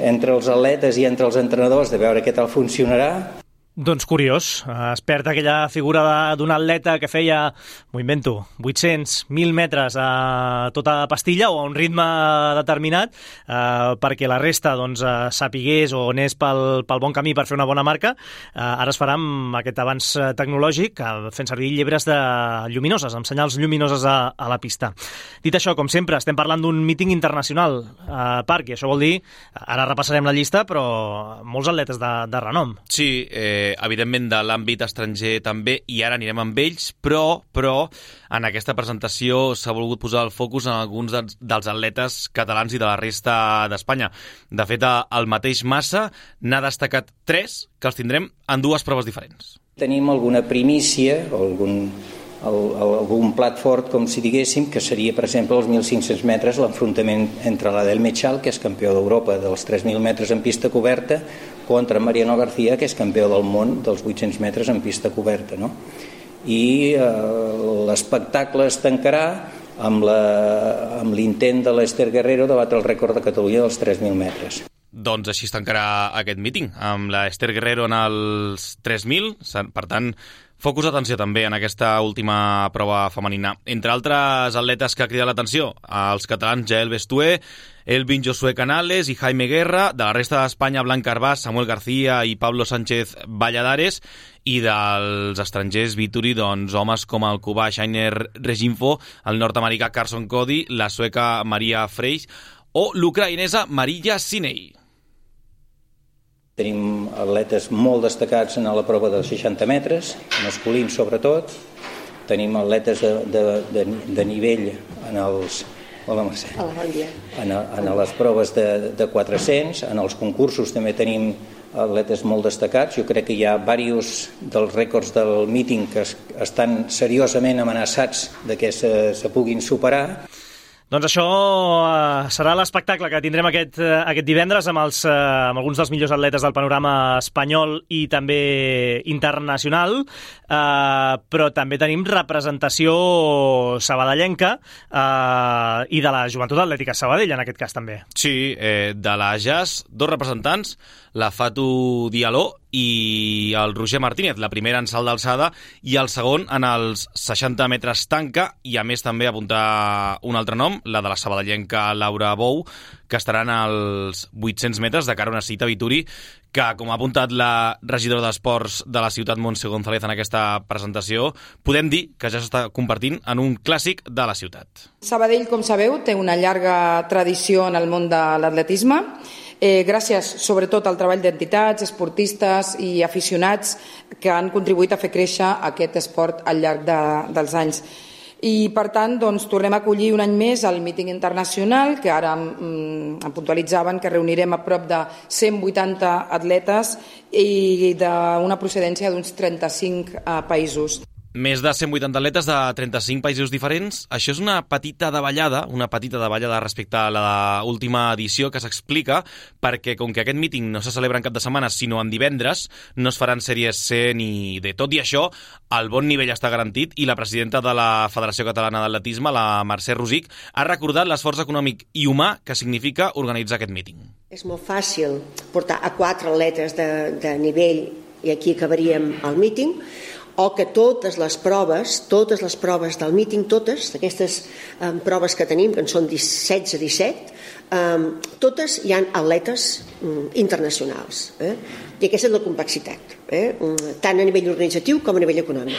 entre els atletes i entre els entrenadors de veure què tal funcionarà. Doncs curiós, es perd aquella figura d'un atleta que feia, m'ho invento, 800, 1.000 metres a tota pastilla o a un ritme determinat perquè la resta sapigués o anés pel bon camí per fer una bona marca. Ara es farà amb aquest avanç tecnològic fent servir llebres lluminoses, amb senyals lluminoses a la pista. Dit això, com sempre, estem parlant d'un míting internacional Parc, i això vol dir, ara repassarem la llista, però molts atletes de renom. Sí, evidentment de l'àmbit estranger també, i ara anirem amb ells, però en aquesta presentació s'ha volgut posar el focus en alguns dels atletes catalans i de la resta d'Espanya. De fet, el mateix Massa n'ha destacat 3, que els tindrem en 2 proves diferents. Tenim alguna primícia o algun plat fort, com si diguéssim, que seria, per exemple, els 1.500 metres, l'enfrontament entre l'Adel Mechal, que és campió d'Europa dels 3.000 metres en pista coberta, contra Mariano García, que és campió del món dels 800 metres en pista coberta, no? I l'espectacle es tancarà amb l'intent de l'Ester Guerrero de batre el rècord de Catalunya dels 3.000 metres. Doncs així es tancarà aquest míting, amb l'Ester Guerrero en els 3.000, per tant, focus d'atenció també en aquesta última prova femenina. Entre altres atletes que ha cridat l'atenció, els catalans Jael Bestué, Elvin Josué Canales i Jaime Guerra, de la resta d'Espanya Blanc Carbàs, Samuel García i Pablo Sánchez Valladares, i dels estrangers Vituri, homes com el cubà Shainer Reginfo, el nord-americà Carson Cody, la sueca Maria Freix o l'ucraïnesa Marija Sinei. Tenim atletes molt destacats en la prova dels 60 metres, masculins sobretot. Tenim atletes de nivell en els... Hola, Mercè. En les proves de 400, en els concursos també tenim atletes molt destacats. Jo crec que hi ha diversos dels rècords del míting que estan seriosament amenaçats de que se puguin superar. Doncs això serà l'espectacle que tindrem aquest divendres amb alguns dels millors atletes del panorama espanyol i també internacional, però també tenim representació sabadellenca i de la Joventut Atlètica Sabadell, en aquest cas també. Sí, de la JAS, 2 representants, la Fatu Dialó i el Roger Martínez, la primera en salt d'alçada i el segon en els 60 metres tanca, i a més també apuntar un altre nom, la de la sabadellenca Laura Bou, que estaran als 800 metres de cara a una cita a Vituri, que, com ha apuntat la regidora d'Esports de la ciutat, Montse González, en aquesta presentació, podem dir que ja s'està convertint en un clàssic de la ciutat. Sabadell, com sabeu, té una llarga tradició en el món de l'atletisme, gràcies sobretot al treball d'entitats, esportistes i aficionats que han contribuït a fer créixer aquest esport al llarg dels anys. I, per tant, tornem a acollir un any més el míting internacional, que ara em puntualitzaven que reunirem a prop de 180 atletes i d'una procedència d'uns 35 països. Més de 180 atletes de 35 països diferents. Això és una petita davallada respecte a l'última edició que s'explica, perquè com que aquest míting no se celebra en cap de setmana, sinó en divendres, no es faran sèries C ni D. Tot i això, el bon nivell està garantit i la presidenta de la Federació Catalana d'Atletisme, la Mercè Rosic, ha recordat l'esforç econòmic i humà que significa organitzar aquest míting. És molt fàcil portar a 4 atletes de nivell i aquí acabaríem el míting, o que totes les proves del míting, totes aquestes proves que tenim, que en són 16-17, totes hi ha atletes internacionals. I aquesta és la complexitat, tant a nivell organitzatiu com a nivell econòmic.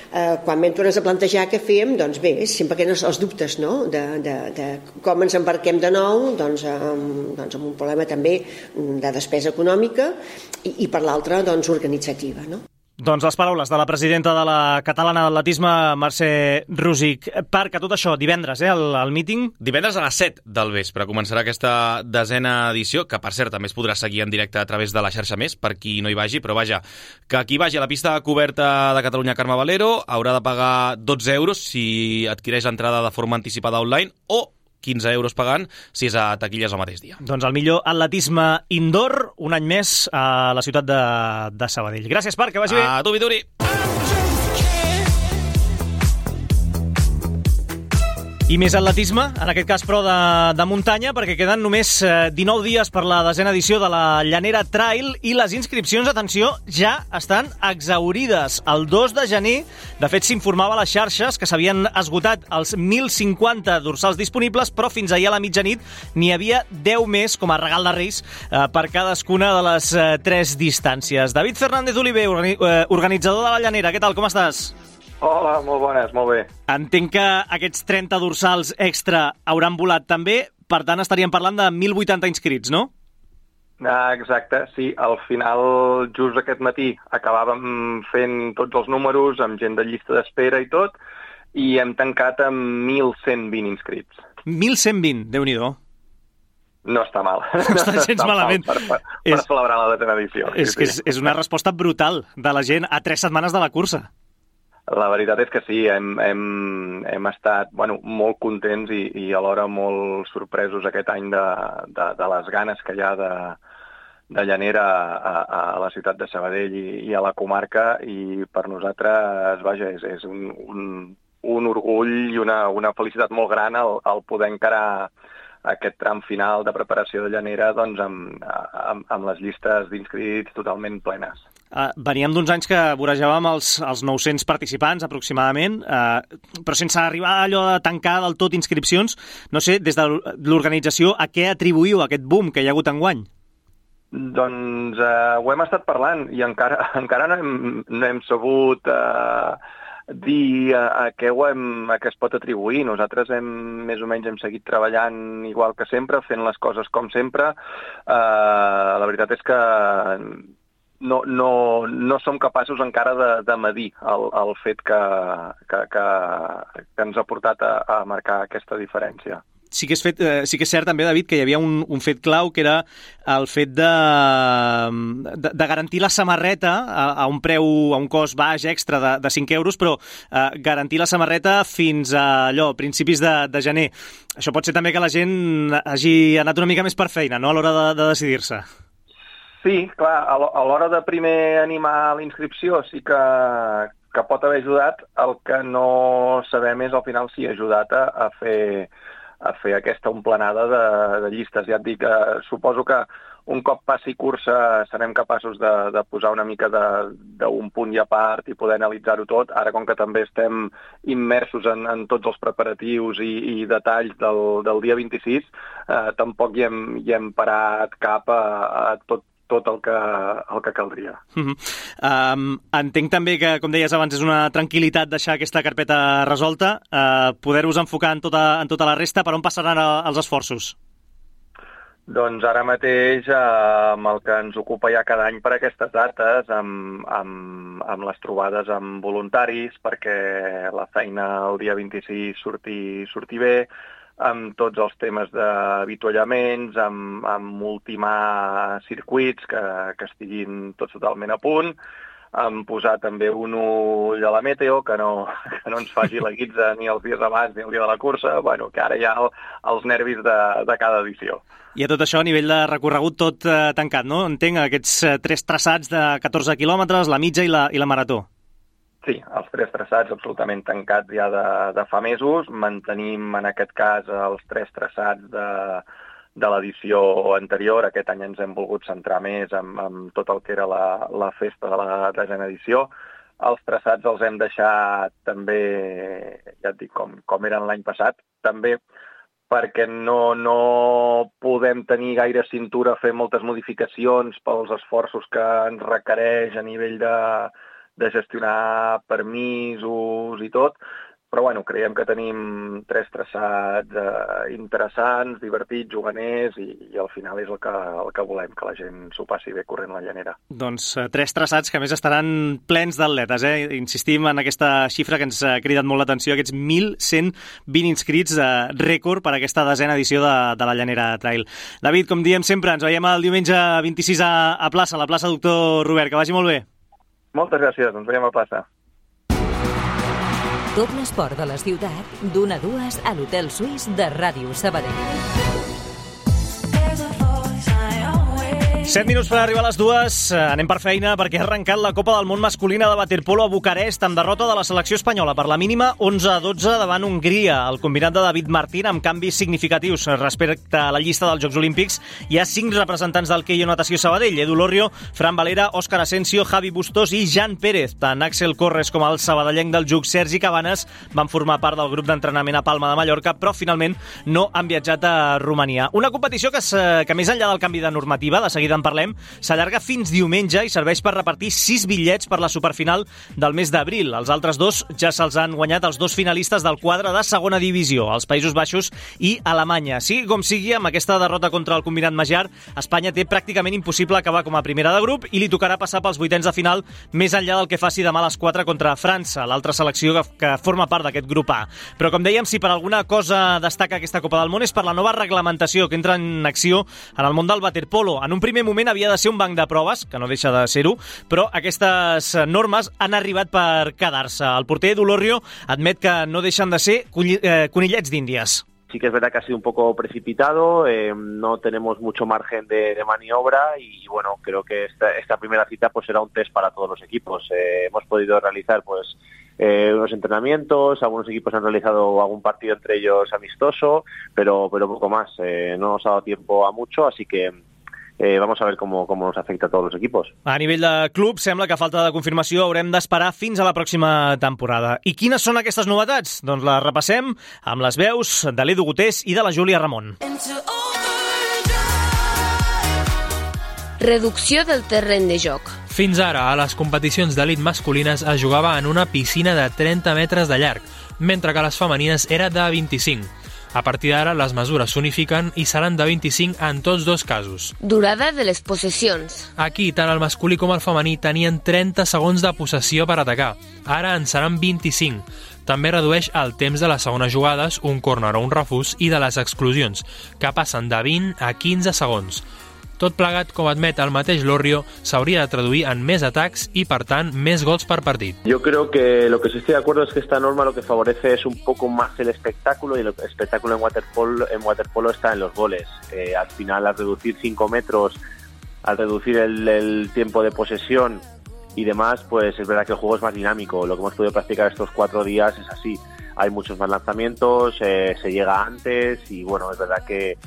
Quan vam tornar a plantejar què fèiem, doncs bé, sempre que els dubtes, no?, de com ens embarquem de nou, doncs amb un problema també de despesa econòmica i per l'altra, doncs, organitzativa, no? Doncs les paraules de la presidenta de la Catalana d'Atletisme, Mercè Rosic. Perquè tot això, divendres, el míting? Divendres a les 7 del vespre començarà aquesta 10a edició, que per cert també es podrà seguir en directe a través de la xarxa Més, per qui no hi vagi, però vaja, que qui vagi a la pista coberta de Catalunya Carme Valero haurà de pagar 12 euros si adquireix l'entrada de forma anticipada online o 15 euros pagant si és a taquilles el mateix dia. Doncs el millor atletisme indoor, un any més a la ciutat de Sabadell. Gràcies, Parc, que vagi bé. A tu, Vituri. I més atletisme, en aquest cas però de muntanya, perquè queden només 19 dies per la 10a edició de la Llanera Trail i les inscripcions, atenció, ja estan exhaurides. El 2 de gener, de fet, s'informava a les xarxes que s'havien esgotat els 1.050 dorsals disponibles, però fins ahir a la mitjanit n'hi havia 10 més com a regal de Reis per cadascuna de les 3 distàncies. David Fernández Oliver, organitzador de la Llanera, què tal, com estàs? Hola, molt bones, molt bé. Entenc que aquests 30 dorsals extra hauran volat també, per tant estaríem parlant de 1.080 inscrits, no? Exacte, sí. Al final, just aquest matí, acabàvem fent tots els números, amb gent de llista d'espera i tot, i hem tancat amb 1.120 inscrits. 1.120, Déu-n'hi-do. No està mal. No està gens malament. Per celebrar la 10a edició. És una resposta brutal de la gent a 3 setmanes de la cursa. La veritat és que sí, hem estat molt contents i alhora molt sorpresos aquest any de les ganes que hi ha de Llanera a la ciutat de Sabadell i a la comarca, i per nosaltres, vaja, és un orgull i una felicitat molt gran el poder encarar aquest tram final de preparació de Llanera doncs, amb les llistes d'inscrits totalment plenes. Veníem d'uns anys que vorejàvem els 900 participants, aproximadament, però sense arribar a allò de tancar del tot inscripcions. No sé, des de l'organització, a què atribuïu aquest boom que hi ha hagut enguany? Doncs ho hem estat parlant i encara no hem sabut dir a què es pot atribuir. Nosaltres més o menys hem seguit treballant igual que sempre, fent les coses com sempre. La veritat és que no som capaços encara de medir el fet que ens ha portat a marcar aquesta diferència. Sí que és cert també, David, que hi havia un fet clau, que era el fet de garantir la samarreta a un preu, a un cost baix extra de 5 euros, però garantir la samarreta fins a principis de gener. Això pot ser també que la gent hagi anat una mica més per feina, no?, a l'hora de decidir-se. Sí, clar, a l'hora de primer animar la inscripció sí que pot haver ajudat. El que no sabem és al final si ha ajudat a fer aquesta omplenada de llistes. Ja et dic, suposo que un cop passi cursa serem capaços de posar una mica d'un punt i a part i poder analitzar-ho tot. Ara, com que també estem immersos en tots els preparatius i detalls del dia 26, tampoc hi hem parat cap a tot el que caldria. Entenc també que, com deies abans, és una tranquil·litat deixar aquesta carpeta resolta, poder-vos enfocar en tota la resta. Per on passaran els esforços? Doncs ara mateix, amb el que ens ocupa ja cada any per aquestes dates, amb les trobades amb voluntaris, perquè la feina el dia 26 surti bé, amb tots els temes d'avituallaments, amb ultimar circuits que estiguin tots totalment a punt, posar també un ull a la meteo, que no ens faci la guitza ni els dies abans ni el dia de la cursa, bueno, que ara hi ha els nervis de cada edició. I a tot això, a nivell de recorregut, tot tancat, no? Entenc aquests 3 traçats de 14 quilòmetres, la mitja i la marató. Sí, els 3 traçats absolutament tancats ja de fa mesos. Mantenim, en aquest cas, els 3 traçats de l'edició anterior. Aquest any ens hem volgut centrar més en tot el que era la festa de la 10a edició. Els traçats els hem deixat també, ja et dic, com eren l'any passat, també perquè no podem tenir gaire cintura a fer moltes modificacions pels esforços que ens requereix a nivell de gestionar permisos i tot, però bueno, creiem que tenim 3 traçats interessants, divertits, juganers, i al final és el que volem, que la gent s'ho passi bé corrent la llanera. Doncs 3 traçats que a més estaran plens d'atletes, Insistim en aquesta xifra que ens ha cridat molt l'atenció, aquests 1.120 inscrits, rècord per aquesta 10a edició de la Llanera Trail. David, com diem sempre, ens veiem el diumenge 26 a plaça, a la plaça Doctor Robert. Que vagi molt bé. Moltes gràcies, ens veiem a plaça. Tot l'esport de la ciutat, d'1 a 2 a l'Hotel Suís de Ràdio Sabadell. 7 minuts per arribar a les 2. Anem per feina perquè ha arrencat la Copa del Món masculina de waterpolo a Bucarest amb derrota de la selecció espanyola per la mínima 11-12 davant Hongria. El combinat de David Martín amb canvis significatius respecte a la llista dels Jocs Olímpics. Hi ha 5 representants del Keio Natació Sabadell: Edu Lorrio, Fran Valera, Òscar Asensio, Javi Bustos i Jan Pérez. Tant Axel Corres com el sabadellenc del JUC Sergi Cabanes van formar part del grup d'entrenament a Palma de Mallorca, però finalment no han viatjat a Romania. Una competició que més enllà del canvi de normativa, de seguida en parlem, s'allarga fins diumenge i serveix per repartir 6 bitllets per la superfinal del mes d'abril. Els altres 2 ja se'ls han guanyat els 2 finalistes del quadre de segona divisió, els Països Baixos i Alemanya. Sigui com sigui, amb aquesta derrota contra el combinat magyar, Espanya té pràcticament impossible acabar com a primera de grup i li tocarà passar pels vuitens de final més enllà del que faci demà a les 4 contra França, l'altra selecció que forma part d'aquest grup A. Però com dèiem, si per alguna cosa destaca aquesta Copa del Món és per la nova reglamentació que entra en acció en el món del waterpolo. En un primer moment havia de ser un banc de proves, que no deixa de ser-ho, però aquestes normes han arribat per quedar-se. El porter Edu Lorrio admet que no deixen de ser conillets d'Índies. Sí que es verdad que ha sido un poco precipitado, no tenemos mucho margen de maniobra y bueno, creo que esta primera cita pues será un test para todos los equipos. Hemos podido realizar pues unos entrenamientos, algunos equipos han realizado algún partido entre ellos amistoso, pero poco más. No nos ha dado tiempo a mucho, así que vamos a ver cómo nos afecta a todos los equipos. A nivell de club, sembla que a falta de confirmació haurem d'esperar fins a la pròxima temporada. I quines són aquestes novetats? Doncs les repassem amb les veus de l'Edu Gutés i de la Júlia Ramon. Reducció del terreny de joc. Fins ara, a les competicions d'elit masculines es jugava en una piscina de 30 metres de llarg, mentre que les femenines era de 25. A partir d'ara, les mesures s'unifiquen i seran de 25 en tots 2 casos. Durada de les possessions. Aquí, tant el masculí com el femení tenien 30 segons de possessió per atacar. Ara en seran 25. També redueix el temps de les segones jugades, un córner o un refús, i de les exclusions, que passen de 20 a 15 segons. Tot plegat, com admet el mateix Lorrio, s'hauria de traduir en més atacs i, per tant, més gols per partit. Yo creo que lo que sí estoy de acuerdo es que esta norma lo que favorece es un poco más el espectáculo, y el espectáculo en waterpolo está en los goles. Al final, al reducir 5 metros, al reducir el tiempo de posesión y demás, pues es verdad que el juego es más dinámico. Lo que hemos podido practicar estos 4 días es así. Hay muchos más lanzamientos, se llega antes y bueno, es verdad que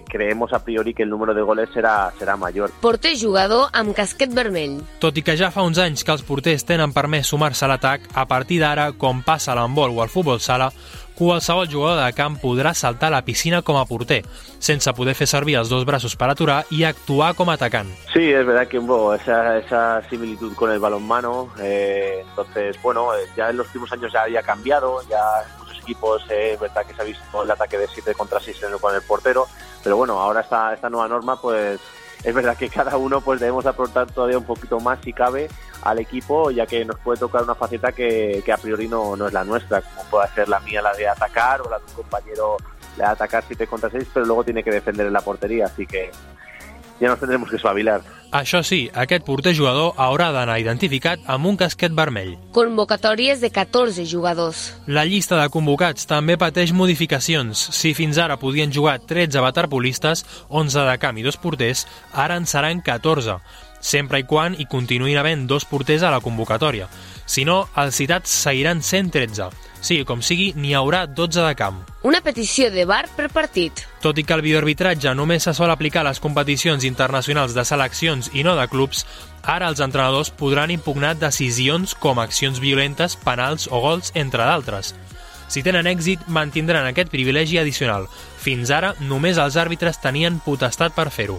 creemos a priori que el número de goles serà major. Porter jugador amb casquet vermell. Tot i que ja fa uns anys que els porters tenen permès sumar-se a l'atac, a partir d'ara, com passa a l'handbol o al futbol sala, qualsevol jugador de camp podrà saltar a la piscina com a porter, sense poder fer servir els 2 braços per aturar i actuar com a atacant. Sí, es verdad que esa similitud con el balonmano, entonces, bueno, ya en los últimos años ya había cambiado, ya en muchos equipos es verdad que se ha visto el ataque de 7 contra 6 con el portero, pero bueno, ahora esta nueva norma, pues es verdad que cada uno pues debemos aportar todavía un poquito más si cabe al equipo, ya que nos puede tocar una faceta que a priori no es la nuestra, como puede ser la mía, la de atacar, o la de un compañero, la de atacar 7 contra 6, pero luego tiene que defender en la portería, así que ya nos tendremos que espabilar. Això sí, aquest porter jugador haurà d'anar identificat amb un casquet vermell. Convocatòries de 14 jugadors. La llista de convocats també pateix modificacions. Si fins ara podien jugar 13 waterpolistes, 11 de camp i 2 porters, ara en seran 14, sempre i quan hi continuïn havent 2 porters a la convocatòria. Si no, els citats seguiran sent 13. Sigui com sigui, n'hi haurà 12 de camp. Una petició de VAR per partit. Tot i que el videoarbitratge només se sol aplicar a les competicions internacionals de seleccions i no de clubs, ara els entrenadors podran impugnar decisions com accions violentes, penals o gols, entre d'altres. Si tenen èxit, mantindran aquest privilegi addicional. Fins ara, només els àrbitres tenien potestat per fer-ho.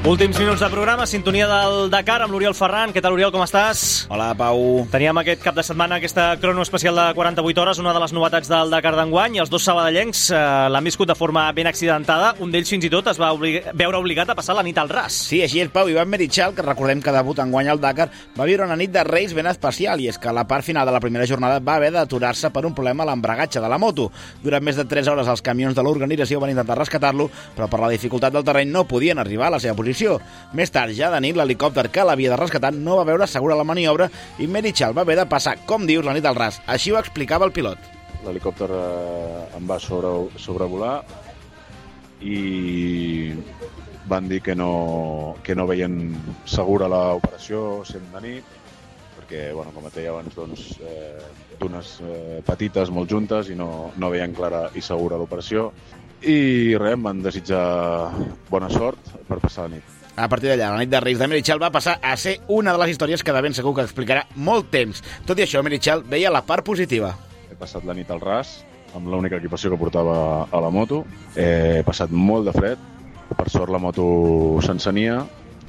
Últims minuts de programa, sintonia del Dakar amb l'Oriol Ferran. Què tal, Oriol, com estàs? Hola, Pau. Teníem aquest cap de setmana aquesta crono especial de 48 hores, una de les novetats del Dakar d'enguany, i els dos sabadellencs l'han viscut de forma ben accidentada. Un d'ells fins i tot es va veure obligat a passar la nit al ras. Sí, així és, Pau. Ivan Merichal, que recordem que debuta enguany al Dakar, va viure una nit de Reis ben especial, i és que a la part final de la primera jornada va haver d'aturar-se per un problema a l'embragatge de la moto. Durant més de 3 hores els camions de l'organització van intentar rescatar-lo, però per la dificultat del terreny no podien arribar a la seva posició. Més tard, ja de nit, l'helicòpter que l'havia de rescatar no va veure segura la maniobra i Merichal va haver de passar, com dius, la nit al ras. Així ho explicava el pilot. L'helicòpter em va sobrevolar i van dir que no veien segura l'operació sent de nit, perquè, com et deia abans, d'unes petites molt juntes i no veien clara i segura l'operació. I res, em van desitjar bona sort per passar la nit. A partir d'allà, la nit de Reis de Merichal va passar a ser una de les històries que de ben segur que explicarà molt temps. Tot i això, Merichal veia la part positiva. He passat la nit al ras, amb l'única equipació que portava a la moto. He passat molt de fred. Per sort la moto s'encenia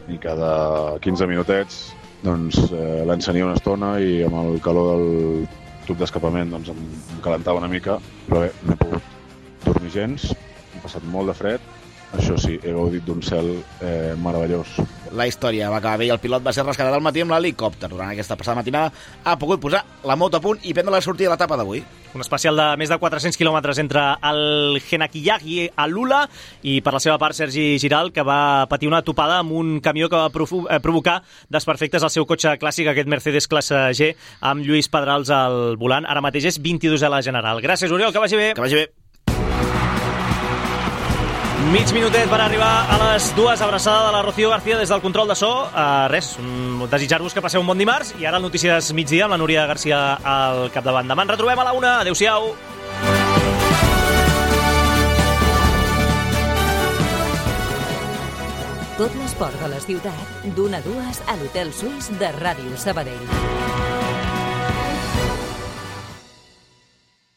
i cada 15 minutets l'encenia una estona i amb el calor del tub d'escapament em calentava una mica. Però bé, no he pogut dormir gens, he passat molt de fred. Això sí, he gaudit d'un cel meravellós. La història va acabar bé i el pilot va ser rescatat al matí amb l'helicòpter. Durant aquesta passada matinada ha pogut posar la moto a punt i prendre la sortida de l'etapa d'avui. Un especial de més de 400 quilòmetres entre el Genakiyag i el Lula, i per la seva part Sergi Giral, que va patir una topada amb un camió que va provocar desperfectes al seu cotxe clàssic, aquest Mercedes classe G, amb Lluís Pedrals al volant. Ara mateix és 22 a la general. Gràcies, Oriol, que vagi bé. Que vagi bé. Mig minutet per arribar a les 2, abraçada de la Rocío García des del control de so. Desitjar-vos que passeu un bon dimarts, i ara el Notícies Migdia amb la Núria García al capdavant. Demà ens retrobem a la 1. Adéu-siau. Tot l'esport de la ciutat, d'1 a 2 a l'Hotel Suís de Ràdio Sabadell.